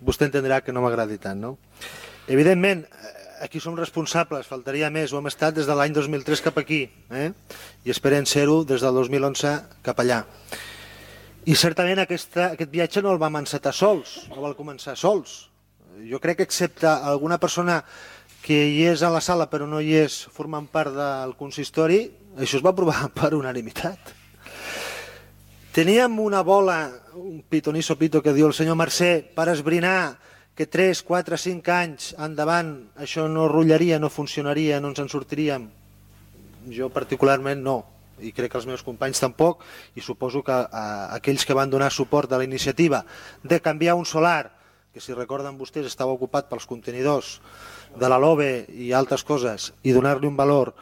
vostè entendrà que no m'agradi tant, no? Evidentment, aquí som responsables, faltaria més, ho hem estat des de l'any 2003 cap aquí, i esperem ser-ho des del 2011 cap allà. I certament aquest viatge no el vam encetar sols, no va començar sols. Jo crec que excepte alguna persona que hi és a la sala però no hi és formant part del consistori, això es va aprovar per unanimitat. Teníem una bola, un pitonisso pito que diu el senyor Mercè, per esbrinar que 3, 4, 5 anys endavant això no rotllaria, no funcionaria, no ens en sortiríem. Jo particularment no, i crec que els meus companys tampoc, i suposo que aquells que van donar suport a la iniciativa de canviar un solar, que si recorden vostès estava ocupat pels contenidors de la LOBE i altres coses, i donar-li un valor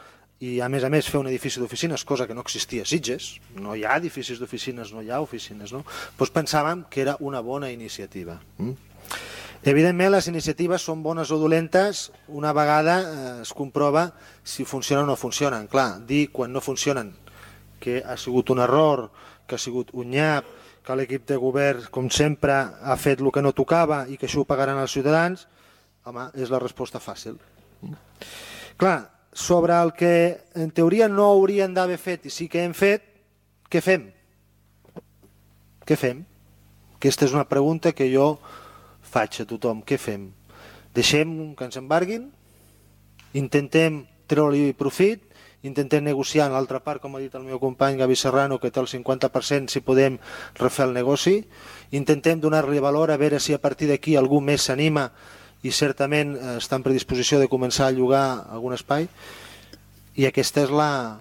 i a més fer un edifici d'oficines, cosa que no existia a Sitges, no hi ha edificis d'oficines, no hi ha oficines, no? Doncs pensàvem que era una bona iniciativa. Evidentment, les iniciatives són bones o dolentes una vegada es comprova si funcionen o no funcionen. Clar, dir quan no funcionen que ha sigut un error, que ha sigut un nyap, que l'equip de govern, com sempre, ha fet el que no tocava i que això ho pagaran els ciutadans, home, és la resposta fàcil. Clar, sobre el que en teoria no haurien d'haver fet i sí que hem fet, què fem? Què fem? Aquesta és una pregunta que jo faig a tothom. Què fem? Deixem que ens embarguin? Intentem treure-li profit? Intentem negociar en l'altra part, com ha dit el meu company Gavi Serrano, que té el 50%, si podem refer el negoci. Intentem donar-li valor, a veure si a partir d'aquí algú més s'anima i certament està en predisposició de començar a llogar algun espai. I aquesta és la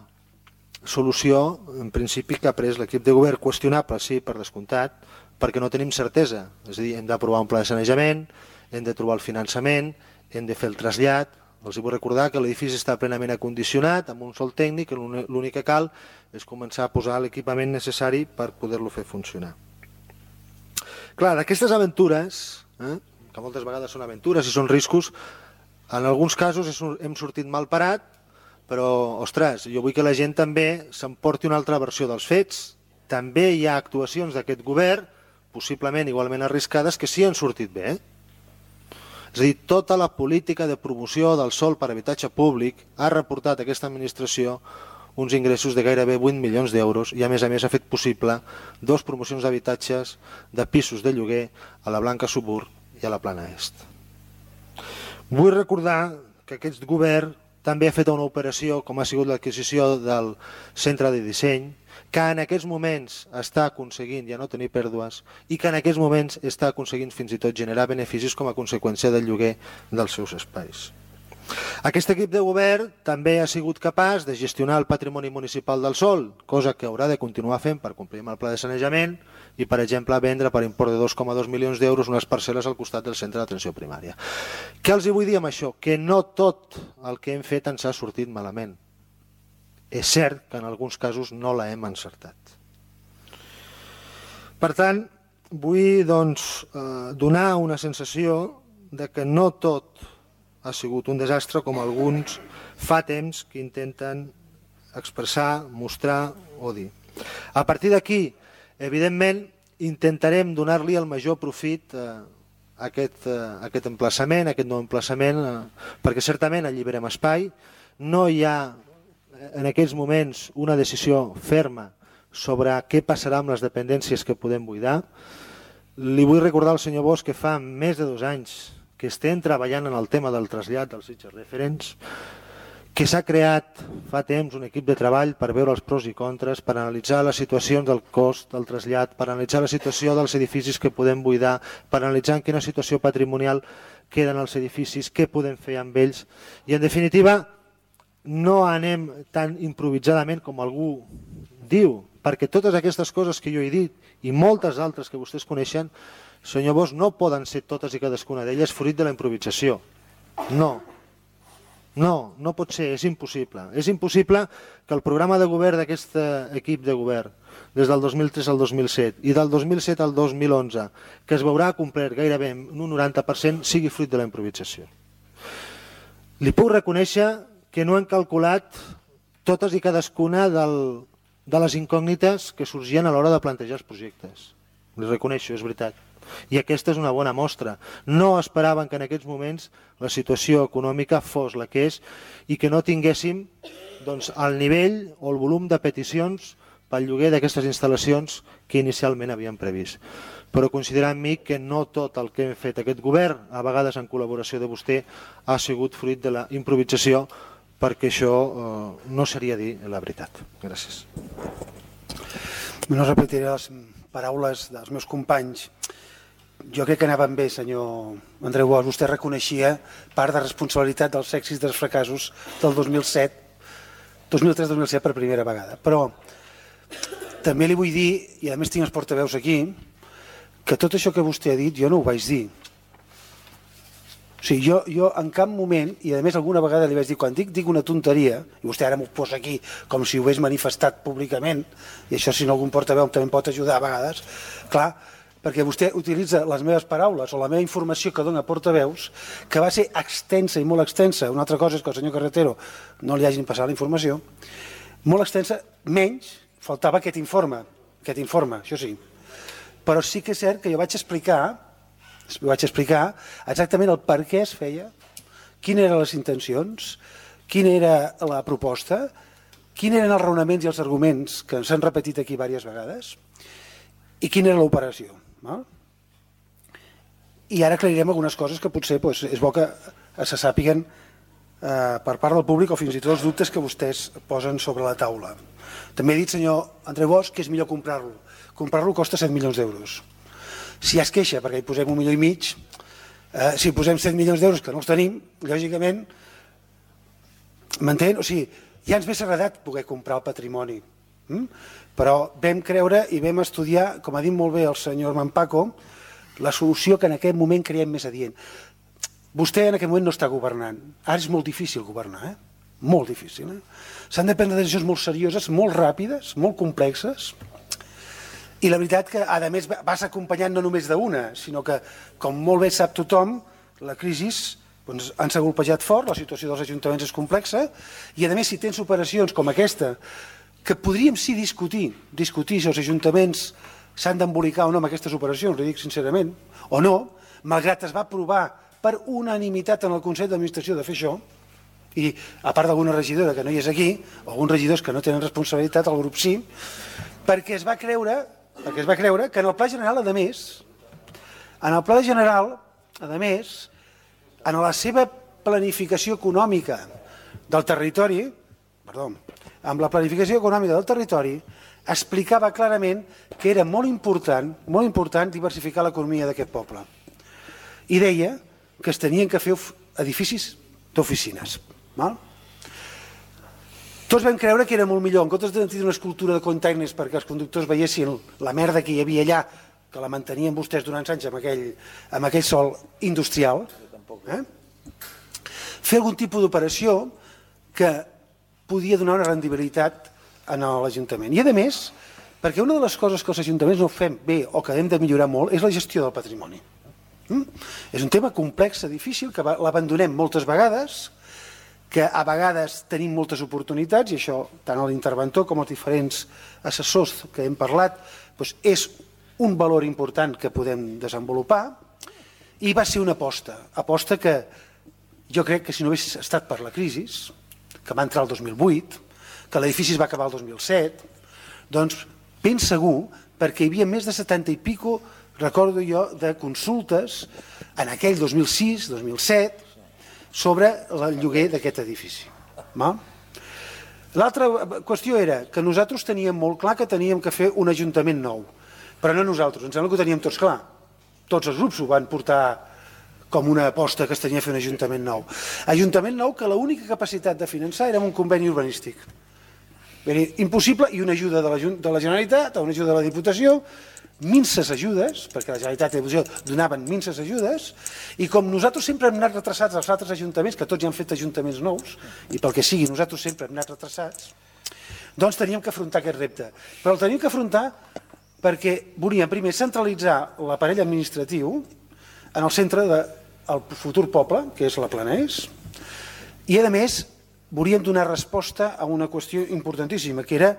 solució, en principi, que ha pres l'equip de govern. Qüestionable, sí, per descomptat, perquè no tenim certesa. És a dir, hem d'aprovar un pla de sanejament, hem de trobar el finançament, hem de fer el trasllat. Els vull recordar que l'edifici està plenament acondicionat, amb un sol tècnic, que l'únic que cal és començar a posar l'equipament necessari per poder-lo fer funcionar. Clar, d'aquestes aventures, que moltes vegades són aventures i són riscos, en alguns casos hem sortit mal parat, però, ostres, jo vull que la gent també s'emporti una altra versió dels fets. També hi ha actuacions d'aquest govern, possiblement igualment arriscades, que sí han sortit bé. És a dir, tota la política de promoció del sòl per habitatge públic ha reportat a aquesta administració uns ingressos de gairebé 8 milions d'euros i a més ha fet possible 2 promocions d'habitatges de pisos de lloguer a la Blanca Subur i a la Plana Est. Vull recordar que aquest govern també ha fet una operació com ha sigut l'adquisició del centre de disseny, que en aquests moments està aconseguint ja no tenir pèrdues i que en aquests moments està aconseguint fins i tot generar beneficis com a conseqüència del lloguer dels seus espais. Aquest equip de govern també ha sigut capaç de gestionar el patrimoni municipal del sòl, cosa que haurà de continuar fent per complir amb el pla de sanejament i, per exemple, vendre per import de 2,2 milions d'euros unes parcel·les al costat del centre d'atenció primària. Què els vull dir amb això? Que no tot el que hem fet ens ha sortit malament. És cert que en alguns casos no l'hem encertat. Per tant, vull donar una sensació de que no tot ha sigut un desastre com alguns fa temps que intenten expressar, mostrar o dir. A partir d'aquí, evidentment, intentarem donar-li el major profit a aquest emplaçament, a aquest nou emplaçament, perquè certament alliberem espai. No hi ha en aquests moments una decisió ferma sobre què passarà amb les dependències que podem buidar. Li vull recordar al senyor Bosch que fa més de 2 anys que estem treballant en el tema del trasllat dels Sitges Referents, que s'ha creat fa temps un equip de treball per veure els pros i contres, per analitzar les situacions del cost del trasllat, per analitzar la situació dels edificis que podem buidar, per analitzar en quina situació patrimonial queden els edificis, què podem fer amb ells. I, en definitiva, no anem tan improvisadament com algú diu, perquè totes aquestes coses que jo he dit i moltes altres que vostès coneixen, senyor Bosch, no poden ser totes i cadascuna d'elles fruit de la improvisació. No. No pot ser, és impossible. És impossible que el programa de govern d'aquest equip de govern, des del 2003 al 2007 i del 2007 al 2011, que es veurà complert gairebé en un 90%, sigui fruit de la improvisació. Li puc reconèixer que no hem calculat totes i cadascuna de les incògnites que sorgien a l'hora de plantejar els projectes. Li reconeixo, és veritat. I aquesta és una bona mostra. No esperaven que en aquests moments la situació econòmica fos la que és i que no tinguéssim el nivell o el volum de peticions pel lloguer d'aquestes instal·lacions que inicialment havíem previst. Però considerar amb mi que no tot el que hem fet aquest govern, a vegades en col·laboració de vostè, ha sigut fruit de la improvisació, perquè això no seria dir la veritat. Gràcies. No repetiré les paraules dels meus companys. Jo crec que anaven bé, senyor Andreu Bosch. Vostè reconeixia part de responsabilitat dels èxits i dels fracassos del 2003-2007 per primera vegada. Però també li vull dir, i a més tinc els portaveus aquí, que tot això que vostè ha dit jo no ho vaig dir. O sigui, jo en cap moment, i a més alguna vegada li vaig dir, quan dic una tonteria, i vostè ara m'ho posa aquí com si ho hagués manifestat públicament, i això si no algun portaveu també em pot ajudar a vegades, clar, perquè vostè utilitza les meves paraules o la meva informació que dona portaveus, que va ser extensa i molt extensa. Una altra cosa és que al senyor Carretero no li hagin passat la informació, molt extensa, menys faltava aquest informe, això sí. Però sí que és cert que jo vaig explicar exactament el per què es feia, quines eren les intencions, quina era la proposta, quins eren els raonaments i els arguments que s'han repetit aquí diverses vegades i quina era l'operació. I ara aclarirem algunes coses que potser és bo que se sàpiguen per part del públic o fins i tot els dubtes que vostès posen sobre la taula. També he dit, senyor Andreu Bosch, que és millor comprar-lo. Comprar-lo costa 7 milions d'euros. Si es queixa perquè hi posem 1,5 milions, si posem 7 milions d'euros que no els tenim, lògicament, m'entén? O sigui, ja ens hauria agradat poder comprar el patrimoni, però vam creure i vam estudiar, com ha dit molt bé el senyor Manpaco, la solució que en aquest moment creiem més adient. Vostè en aquest moment no està governant. Ara és molt difícil governar, molt difícil. S'han de prendre decisions molt serioses, molt ràpides, molt complexes, i la veritat que, a més, vas acompanyant no només d'una, sinó que, com molt bé sap tothom, la crisi ens ha golpejat fort, la situació dels ajuntaments és complexa, i a més, si tens operacions com aquesta, que podríem sí discutir si els ajuntaments s'han d'embolicar o no amb aquestes operacions, li dic sincerament, o no, malgrat es va aprovar per unanimitat en el Consell d'Administració de fer això, i a part d'alguna regidora que no hi és aquí, o alguns regidors que no tenen responsabilitat, el grup sí, perquè es va creure que en el Pla General, a més, en la seva planificació econòmica del territori, amb la planificació econòmica del territori, explicava clarament que era molt important diversificar l'economia d'aquest poble. I deia que es tenien que fer edificis d'oficines. Tots vam creure que era molt millor, en comptes de tenir una escultura de containers perquè els conductors veiessin la merda que hi havia allà, que la mantenien vostès durant anys amb aquell sòl industrial, fer algun tipus d'operació que podia donar una rendibilitat a l'Ajuntament. I a més, perquè una de les coses que els ajuntaments no fem bé o que hem de millorar molt és la gestió del patrimoni. És un tema complex, difícil, que l'abandonem moltes vegades, que a vegades tenim moltes oportunitats, i això tant l'interventor com els diferents assessors que hem parlat és un valor important que podem desenvolupar, i va ser una aposta que jo crec que si no hagués estat per la crisi, que va entrar el 2008, que l'edifici es va acabar el 2007, doncs ben segur, perquè hi havia més de 70 i pico, recordo jo, de consultes en aquell 2006, 2007, sobre el lloguer d'aquest edifici. L'altra qüestió era que nosaltres teníem molt clar que teníem que fer un ajuntament nou, però no nosaltres, em sembla que ho teníem tots clar. Tots els grups ho van portar com una aposta que es tenia a fer un ajuntament nou. Ajuntament nou que l'única capacitat de finançar era un conveni urbanístic. Impossible, i una ajuda de la Generalitat, una ajuda de la Diputació, minces ajudes, perquè la Generalitat i la Diputació donaven minces ajudes, i com nosaltres sempre hem anat retrasats als altres ajuntaments, que tots ja han fet ajuntaments nous, i pel que sigui nosaltres sempre hem anat retrasats, doncs teníem que afrontar aquest repte. Però el teníem que afrontar perquè volíem primer centralitzar l'aparell administratiu en el centre del futur poble, que és la Planès, i a més volíem donar resposta a una qüestió importantíssima, que era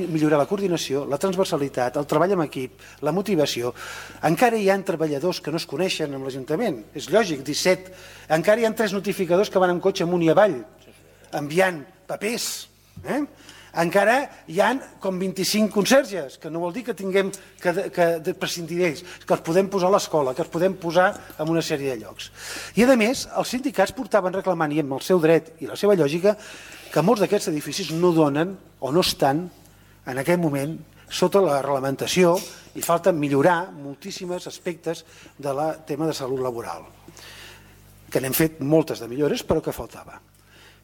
millorar la coordinació, la transversalitat, el treball en equip, la motivació. Encara hi ha treballadors que no es coneixen amb l'Ajuntament, és lògic, 17. Encara hi ha 3 notificadors que van en cotxe amunt i avall, enviant papers. Encara hi ha com 25 conserges, que no vol dir que tinguem que prescindir d'ells, que els podem posar a l'escola, que els podem posar en una sèrie de llocs. I a més, els sindicats portaven reclamant, i amb el seu dret i la seva lògica, que molts d'aquests edificis no donen o no estan en aquest moment sota la reglamentació i falta millorar moltíssims aspectes del tema de salut laboral, que n'hem fet moltes de millores però que faltava.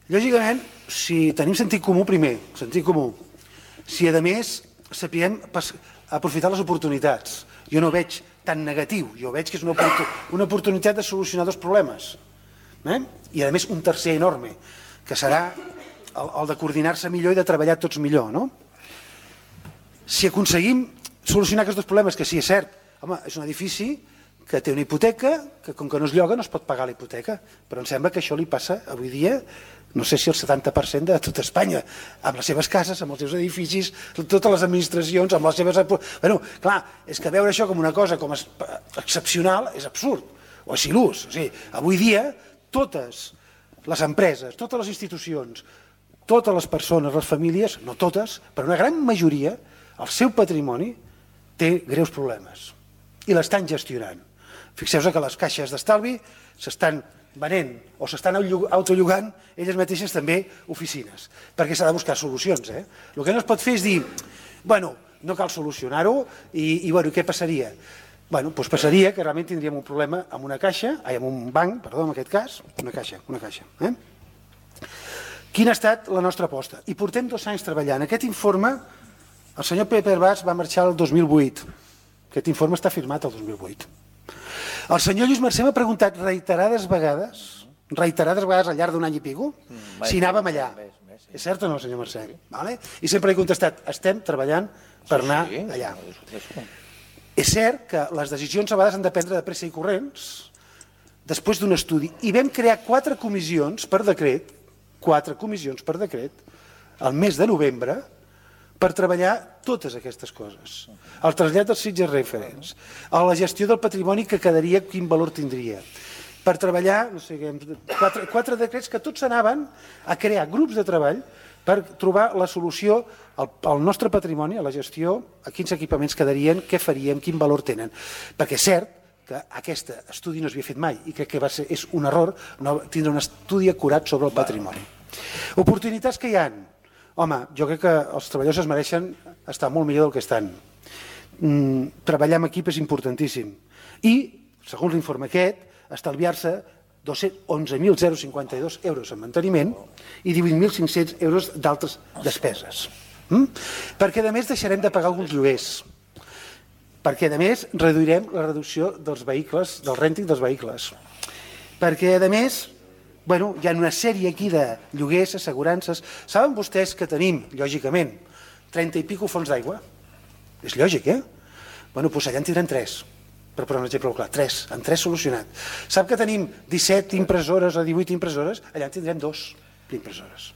Lògicament, si tenim sentit comú primer, sentit comú, si a més sapiguem aprofitar les oportunitats, jo no veig tan negatiu, jo veig que és una oportunitat de solucionar 2 problemes, i a més un tercer enorme, que serà el de coordinar-se millor i de treballar tots millor. Si aconseguim solucionar aquests 2 problemes, que sí, és cert, és un edifici que té una hipoteca, que com que no es lloga no es pot pagar la hipoteca, però em sembla que això li passa avui dia, no sé si el 70% de tot Espanya, amb les seves cases, amb els seus edificis, totes les administracions, amb les seves... Bueno, clar, és que veure això com una cosa com excepcional és absurd, o és il·lús. O sigui, avui dia, totes les empreses, totes les institucions, totes les persones, les famílies, no totes, però una gran majoria, el seu patrimoni té greus problemes i l'estan gestionant. Fixeu-vos que les caixes d'estalvi s'estan venent o s'estan autollogant elles mateixes també oficines, perquè s'ha de buscar solucions. El que no es pot fer és dir, bueno, no cal solucionar-ho i què passaria? Doncs passaria que realment tindríem un problema amb una caixa, amb un banc, perdó, en aquest cas, una caixa. Quina ha estat la nostra aposta? I portem 2 anys treballant. Aquest informe, el senyor Pepe Herbàs va marxar el 2008. Aquest informe està firmat el 2008. El senyor Lluís Mercè m'ha preguntat reiterades vegades al llarg d'un any i pico, si anàvem allà. És cert o no, senyor Mercè? I sempre he contestat, estem treballant per anar allà. És cert que les decisions a vegades han de prendre de pressa i corrents, després d'un estudi, i vam crear 4 comissions per decret, al mes de novembre, per treballar totes aquestes coses. El trasllat dels sitges referents, la gestió del patrimoni que quedaria, quin valor tindria, per treballar, no sé, 4 decrets que tots anaven a crear grups de treball per trobar la solució al nostre patrimoni, a la gestió, a quins equipaments quedarien, què faríem, quin valor tenen. Perquè és cert que aquest estudi no s'havia fet mai i crec que és un error no tindre un estudi acurat sobre el patrimoni. Oportunitats que hi ha. Home, jo crec que els treballadors es mereixen estar molt millor del que estan. Treballar en equip és importantíssim. I, segons l'informe aquest, estalviar-se 11.052 euros en manteniment i 18.500 euros d'altres despeses. Perquè a més deixarem de pagar alguns lloguers, perquè a més reduirem la reducció dels vehicles, del rènting dels vehicles, perquè a més hi ha una sèrie aquí de lloguers, assegurances. Saben vostès que tenim, lògicament, 30 i pico fons d'aigua? És lògic, eh? Doncs allà en tindrem 3. Per posar un exemple clar, 3, amb 3 solucionat. Sap que tenim 17 impressores o 18 impressores? Allà en tindrem 2 d'impressores.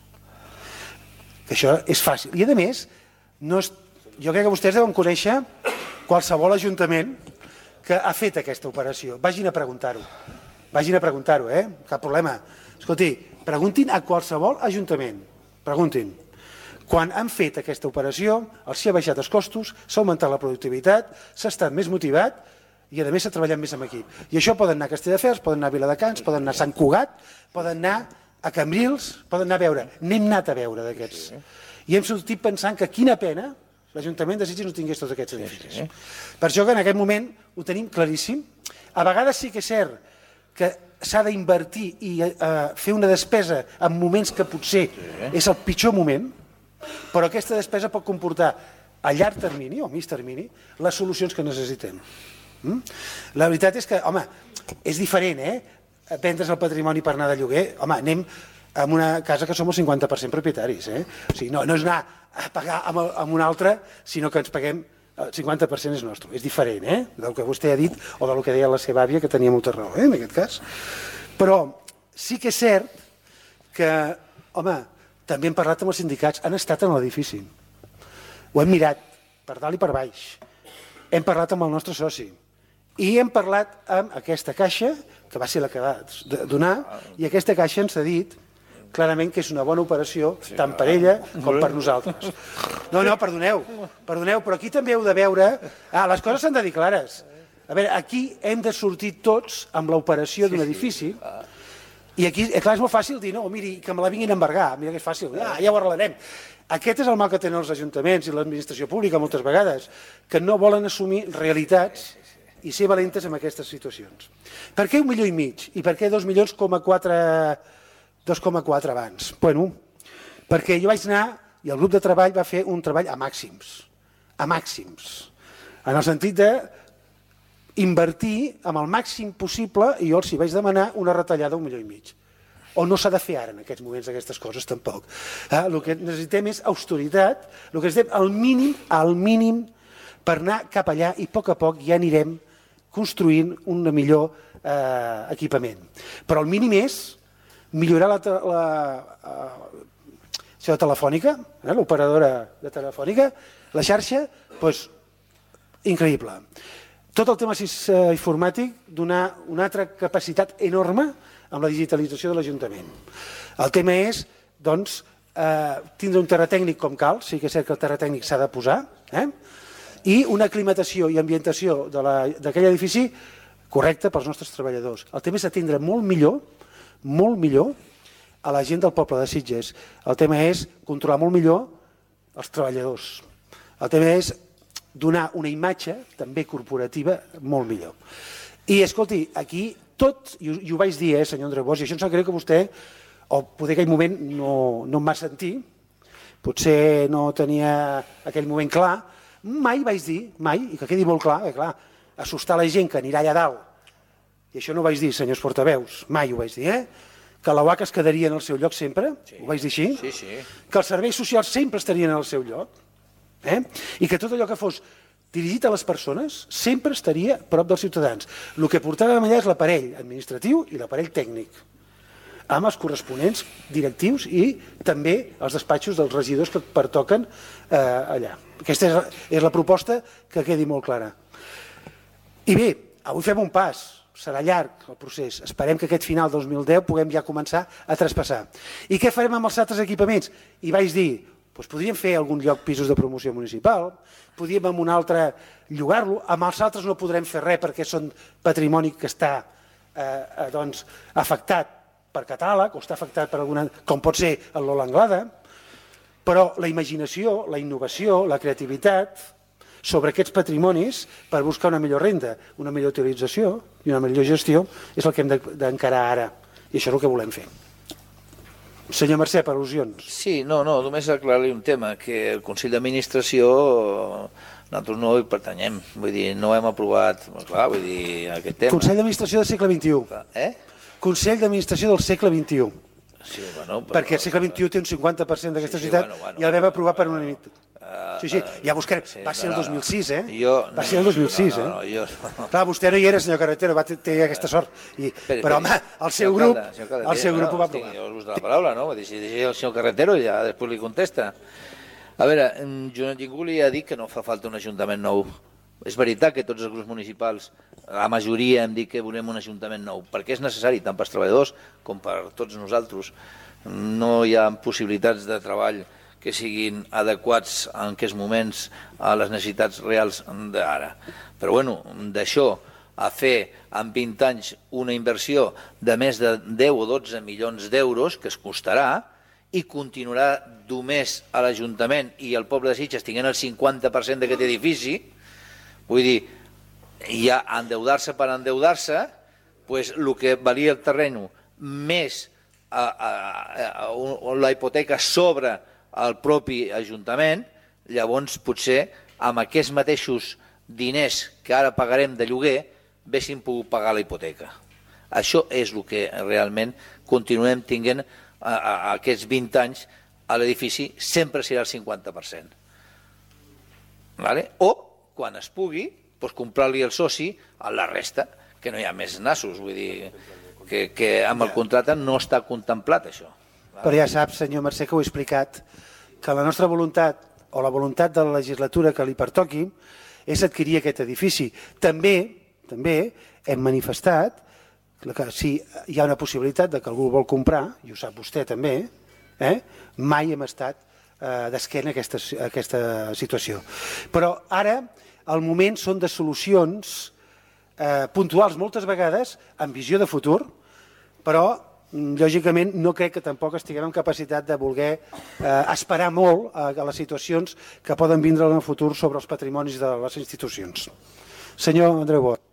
Això és fàcil. I a més, jo crec que vostès deuen conèixer qualsevol ajuntament que ha fet aquesta operació. Vagin a preguntar-ho. Cap problema. Escolti, preguntin a qualsevol ajuntament. Preguntin. Quan han fet aquesta operació, els ha baixat els costos, s'ha augmentat la productivitat, s'ha estat més motivat i a més s'ha treballat més en equip. I això poden anar a Castelldefels, poden anar a Viladecans, poden anar a Sant Cugat, poden anar a Cambrils, poden anar a veure. N'hem anat a veure d'aquests. I hem sortit pensant que quina pena l'Ajuntament de Sitges no tingués tots aquests edificis. Per això que en aquest moment ho tenim claríssim. A vegades sí que és cert que s'ha d'invertir i fer una despesa en moments que potser és el pitjor moment, però aquesta despesa pot comportar a llarg termini o a mig termini les solucions que necessitem. La veritat és que, home, és diferent, vendre's el patrimoni per anar de lloguer. Home, anem a una casa que som el 50% propietaris. O sigui, no és anar a pagar amb un altre, sinó que ens paguem el 50% és nostre. És diferent, del que vostè ha dit o del que deia la seva àvia, que tenia molta raó, en aquest cas. Però sí que és cert que, home, també hem parlat amb els sindicats, han estat en l'edifici. Ho hem mirat per dalt i per baix. Hem parlat amb el nostre soci. I hem parlat amb aquesta caixa, que va ser la que va donar, i aquesta caixa ens ha dit clarament que és una bona operació, tant per ella com per nosaltres. No, perdoneu, però aquí també heu de veure... les coses s'han de dir clares. A veure, aquí hem de sortir tots amb l'operació d'un edifici, i aquí, clar, és molt fàcil dir, no, miri, que me la vinguin a embargar, mira que és fàcil, ja ho arreglarem. Aquest és el mal que tenen els ajuntaments i l'administració pública moltes vegades, que no volen assumir realitats i ser valentes en aquestes situacions. Per què 1,5 milions? I per què 2,4 milions abans? Bueno, perquè jo vaig anar i el grup de treball va fer un treball a màxims, en el sentit d'invertir amb el màxim possible, i jo els vaig demanar una retallada d'1,5 milions. O no s'ha de fer ara en aquests moments aquestes coses tampoc. El que necessitem és austeritat, el que necessitem al mínim per anar cap allà i a poc ja anirem construint un millor equipament. Però el mínim és millorar la telefònica, l'operadora de telefònica, la xarxa, doncs increïble. Tot el tema informàtic, donar una altra capacitat enorme amb la digitalització de l'Ajuntament. El tema és, doncs, tindre un terratècnic com cal, sí que és cert que el terratècnic s'ha de posar, i una aclimatació i ambientació d'aquell edifici correcta pels nostres treballadors. El tema és atendre molt millor a la gent del poble de Sitges. El tema és controlar molt millor els treballadors. El tema és donar una imatge també corporativa molt millor. I escolti, aquí tot, i ho vaig dir, senyor Andreu Bosch, i això em sap greu que vostè, o poder aquell moment no em va sentir, potser no tenia aquell moment clar, mai vaig dir, i que quedi molt clar, assustar la gent que anirà allà dalt, i això no ho vaig dir, senyors portaveus, mai ho vaig dir, que la UAC es quedaria en el seu lloc sempre, ho vaig dir així, que els serveis socials sempre estarien en el seu lloc, i que tot allò que fos dirigit a les persones sempre estaria a prop dels ciutadans. El que portàvem allà és l'aparell administratiu i l'aparell tècnic, amb els corresponents directius i també els despatxos dels regidors que pertoquen allà. Aquesta és la proposta, que quedi molt clara. I bé, avui fem un pas, serà llarg el procés, esperem que aquest final 2010 puguem ja començar a traspassar. I què farem amb els altres equipaments? I vaig dir, podríem fer algun lloc pisos de promoció municipal, podríem amb un altre llogar-lo, amb els altres no podrem fer res perquè són patrimoni que està afectat per catàleg o està afectat per alguna, com pot ser el Lola Anglada, però la imaginació, la innovació, la creativitat sobre aquests patrimonis per buscar una millor renda, una millor utilització i una millor gestió, és el que hem d'encarar ara. I això és el que volem fer. Senyor Mercè, per al·lusions. Sí, no, només aclarar-li un tema, que el Consell d'Administració nosaltres no hi pertanyem, vull dir, no hem aprovat, clar, vull dir, aquest tema. Consell d'Administració del segle XXI. Consell d'Administració del segle XXI. Sí, bueno, perquè el segle XXI té un 50% d'aquesta societat i el vam aprovar per unanimitat. Sí, ja buscarem. Va ser el 2006, Va ser el 2006, Clar, vostè no hi era, senyor Carretero, va tenir aquesta sort. Però, home, el seu grup ho va aprovar. Jo us de la paraula, no? Si deixi el senyor Carretero ja després li contesta. A veure, ningú li ha dit que no fa falta un ajuntament nou. És veritat que tots els grups municipals, la majoria hem dit que volem un ajuntament nou, perquè és necessari tant pels treballadors com per tots nosaltres. No hi ha possibilitats de treball que siguin adequats en aquests moments a les necessitats reals d'ara. Però bueno, d'això a fer en 20 anys una inversió de més de 10 o 12 milions d'euros que es costarà i continuarà només a l'Ajuntament i el poble de Sitges tinguent el 50% d'aquest edifici, vull dir, ja endeudar-se per endeudar-se, doncs el que valia el terreny més la hipoteca sobre el propi Ajuntament, llavors potser amb aquests mateixos diners que ara pagarem de lloguer haguéssim pogut pagar la hipoteca. Això és el que realment continuem tinguent aquests 20 anys a l'edifici, sempre serà el 50%. O, quan es pugui, comprar-li el soci a la resta, que no hi ha més nassos, vull dir que amb el contracte no està contemplat això. Però ja sap, senyor Mercè, que ho he explicat, que la nostra voluntat, o la voluntat de la legislatura que li pertoqui, és adquirir aquest edifici. També hem manifestat que si hi ha una possibilitat que algú vol comprar, i ho sap vostè també, mai hem estat d'esquena a aquesta situació. Però ara el moment són de solucions puntuals moltes vegades, amb visió de futur, però lògicament no crec que tampoc estiguem en capacitat de voler esperar molt a les situacions que poden vindre en el futur sobre els patrimonis de les institucions. Senyor Andreu Bosch.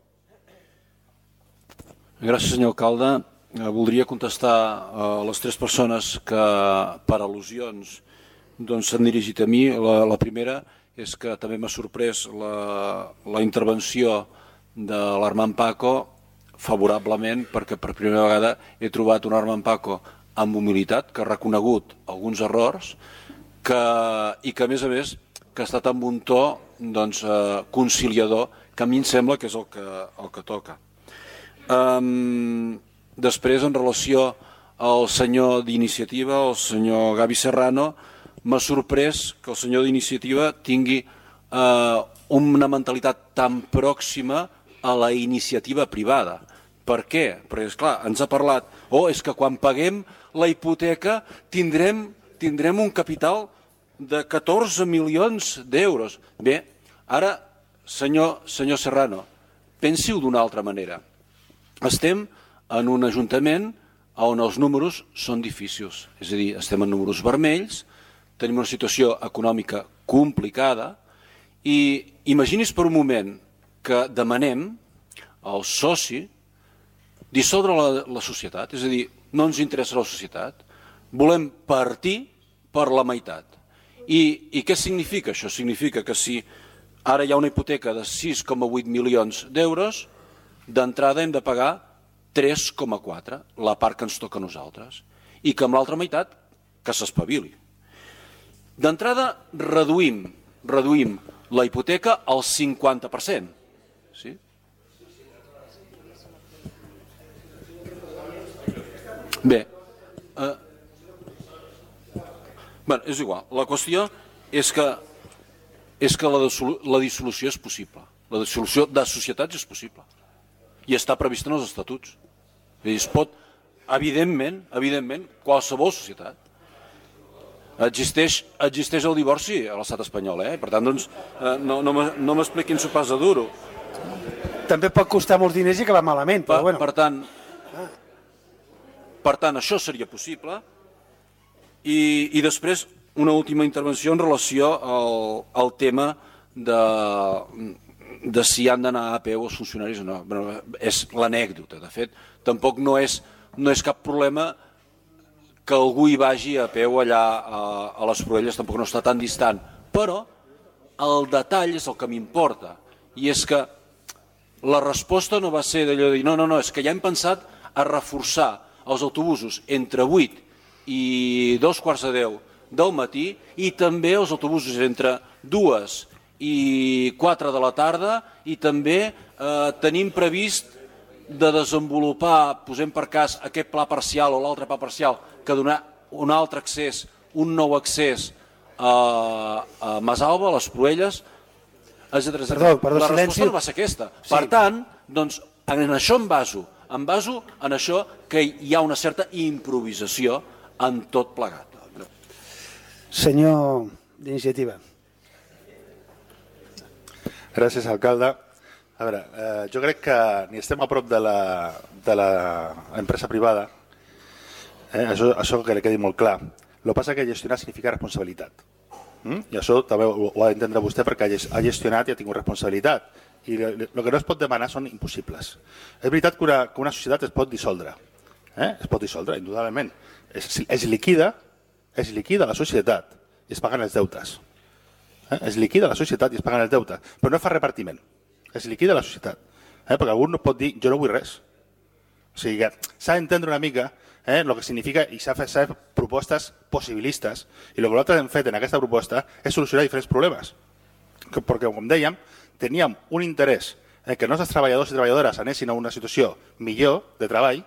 Gràcies, senyor alcalde. Voldria contestar a les tres persones que per al·lusions s'han dirigit a mi. La primera és que també m'ha sorprès la intervenció de l'Armand Paco favorablement, perquè per primera vegada he trobat un Armand Paco amb humilitat, que ha reconegut alguns errors i que a més que ha estat amb un to conciliador, que a mi em sembla que és el que toca. Després, en relació al senyor d'Iniciativa, el senyor Gavi Serrano, m'ha sorprès que el senyor d'Iniciativa tingui una mentalitat tan pròxima a la iniciativa privada. Per què? Perquè, esclar, ens ha parlat, és que quan paguem la hipoteca tindrem un capital de 14 milions d'euros. Bé, ara, senyor Serrano, pensi-ho d'una altra manera. Estem en un ajuntament on els números són difícils, és a dir, estem en números vermells, tenim una situació econòmica complicada i imagini's per un moment que demanem al soci dissoldre la societat, és a dir, no ens interessa la societat, volem partir per la meitat. I què significa això? Significa que si ara hi ha una hipoteca de 6,8 milions d'euros, d'entrada hem de pagar 3,4, la part que ens toca a nosaltres, i que amb l'altra meitat que s'espavili. D'entrada reduïm la hipoteca al 50%. Sí? Bé, és igual. La qüestió és que la dissolució és possible. La dissolució de societats és possible. I està prevista en els estatuts. Es pot, evidentment, qualsevol societat. Existeix el divorci a l'estat espanyol, per tant, no m'expliquin sopars de duro. També pot costar molts diners i acabar malament, però bueno. Per tant, això seria possible. I després, una última intervenció en relació al tema de si han d'anar a peu els funcionaris o no. És l'anècdota, de fet. Tampoc no és cap problema que algú hi vagi a peu allà a les Proelles, tampoc no està tan distant. Però el detall és el que m'importa, i és que la resposta no va ser d'allò de dir no, és que ja hem pensat a reforçar els autobusos entre 8 i 2:45 del matí i també els autobusos entre 2 i 4 de la tarda, i també tenim previst de desenvolupar, posem per cas, aquest pla parcial o l'altre pla parcial que donar un altre accés, un nou accés a Masalba, a les Proelles, etc. Perdó, la silenci. resposta no va ser aquesta. Sí. Per tant, doncs, en això em baso en això que hi ha una certa improvisació en tot plegat. Senyor d'Iniciativa. Gràcies, alcalde. A veure, jo crec que ni estem a prop de l'empresa privada, això que li quedi molt clar. El que passa és que gestionar significa responsabilitat. I això també ho ha d'entendre vostè, perquè ha gestionat i ha tingut responsabilitat. I el que no es pot demanar són impossibles. És veritat que una societat es pot dissoldre. Es pot dissoldre, indudablement. Es liquida la societat i es paguen els deutes. Es liquida la societat i es paguen els deutes. Però no fa repartiment. Es liquida la societat. Perquè algú no pot dir jo no vull res. O sigui que s'ha d'entendre una mica el que significa, i s'ha fet propostes possibilistes, i el que nosaltres hem fet en aquesta proposta és solucionar diferents problemes. Perquè, com dèiem, teníem un interès que els nostres treballadors i treballadores anessin a una situació millor de treball,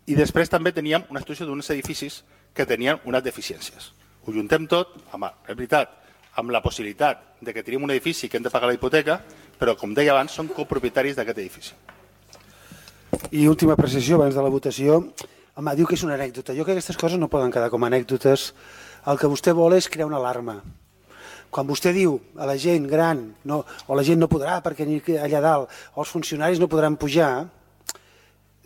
i després també teníem una situació d'uns edificis que tenien unes deficiències. Ho juntem tot, és veritat, amb la possibilitat de que tenim un edifici que hem de pagar la hipoteca, però, com deia abans, som copropietaris d'aquest edifici. I última precisió abans de la votació. Home, diu que és una anècdota. Jo crec que aquestes coses no poden quedar com a anècdotes. El que vostè vol és crear una alarma. Quan vostè diu a la gent gran o la gent no podrà perquè allà dalt, o els funcionaris no podran pujar,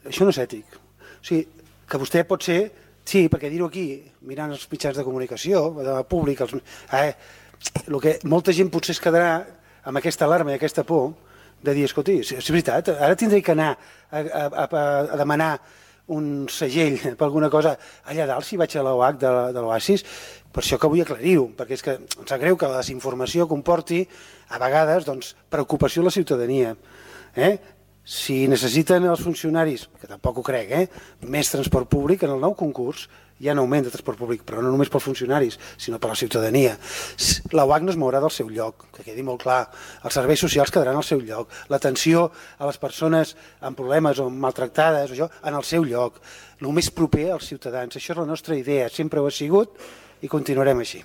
això no és ètic. O sigui, que vostè pot ser, sí, perquè dir-ho aquí, mirant els mitjans de comunicació, de públic, el que molta gent potser es quedarà amb aquesta alarma i aquesta por de dir, escolti, és veritat, ara tindré que anar a demanar un segell per alguna cosa allà dalt si vaig a l'OH de l'Oasis. Per això que vull aclarir-ho, perquè és que em sap greu que la desinformació comporti a vegades preocupació a la ciutadania. Si necessiten els funcionaris, que tampoc ho crec, més transport públic en el nou concurs, hi ha un augment de transport públic, però no només pels funcionaris, sinó per la ciutadania. La UAC no es mourà del seu lloc, que quedi molt clar. Els serveis socials quedaran al seu lloc. L'atenció a les persones amb problemes o maltractades, en el seu lloc. El més proper als ciutadans. Això és la nostra idea, sempre ho ha sigut i continuarem així.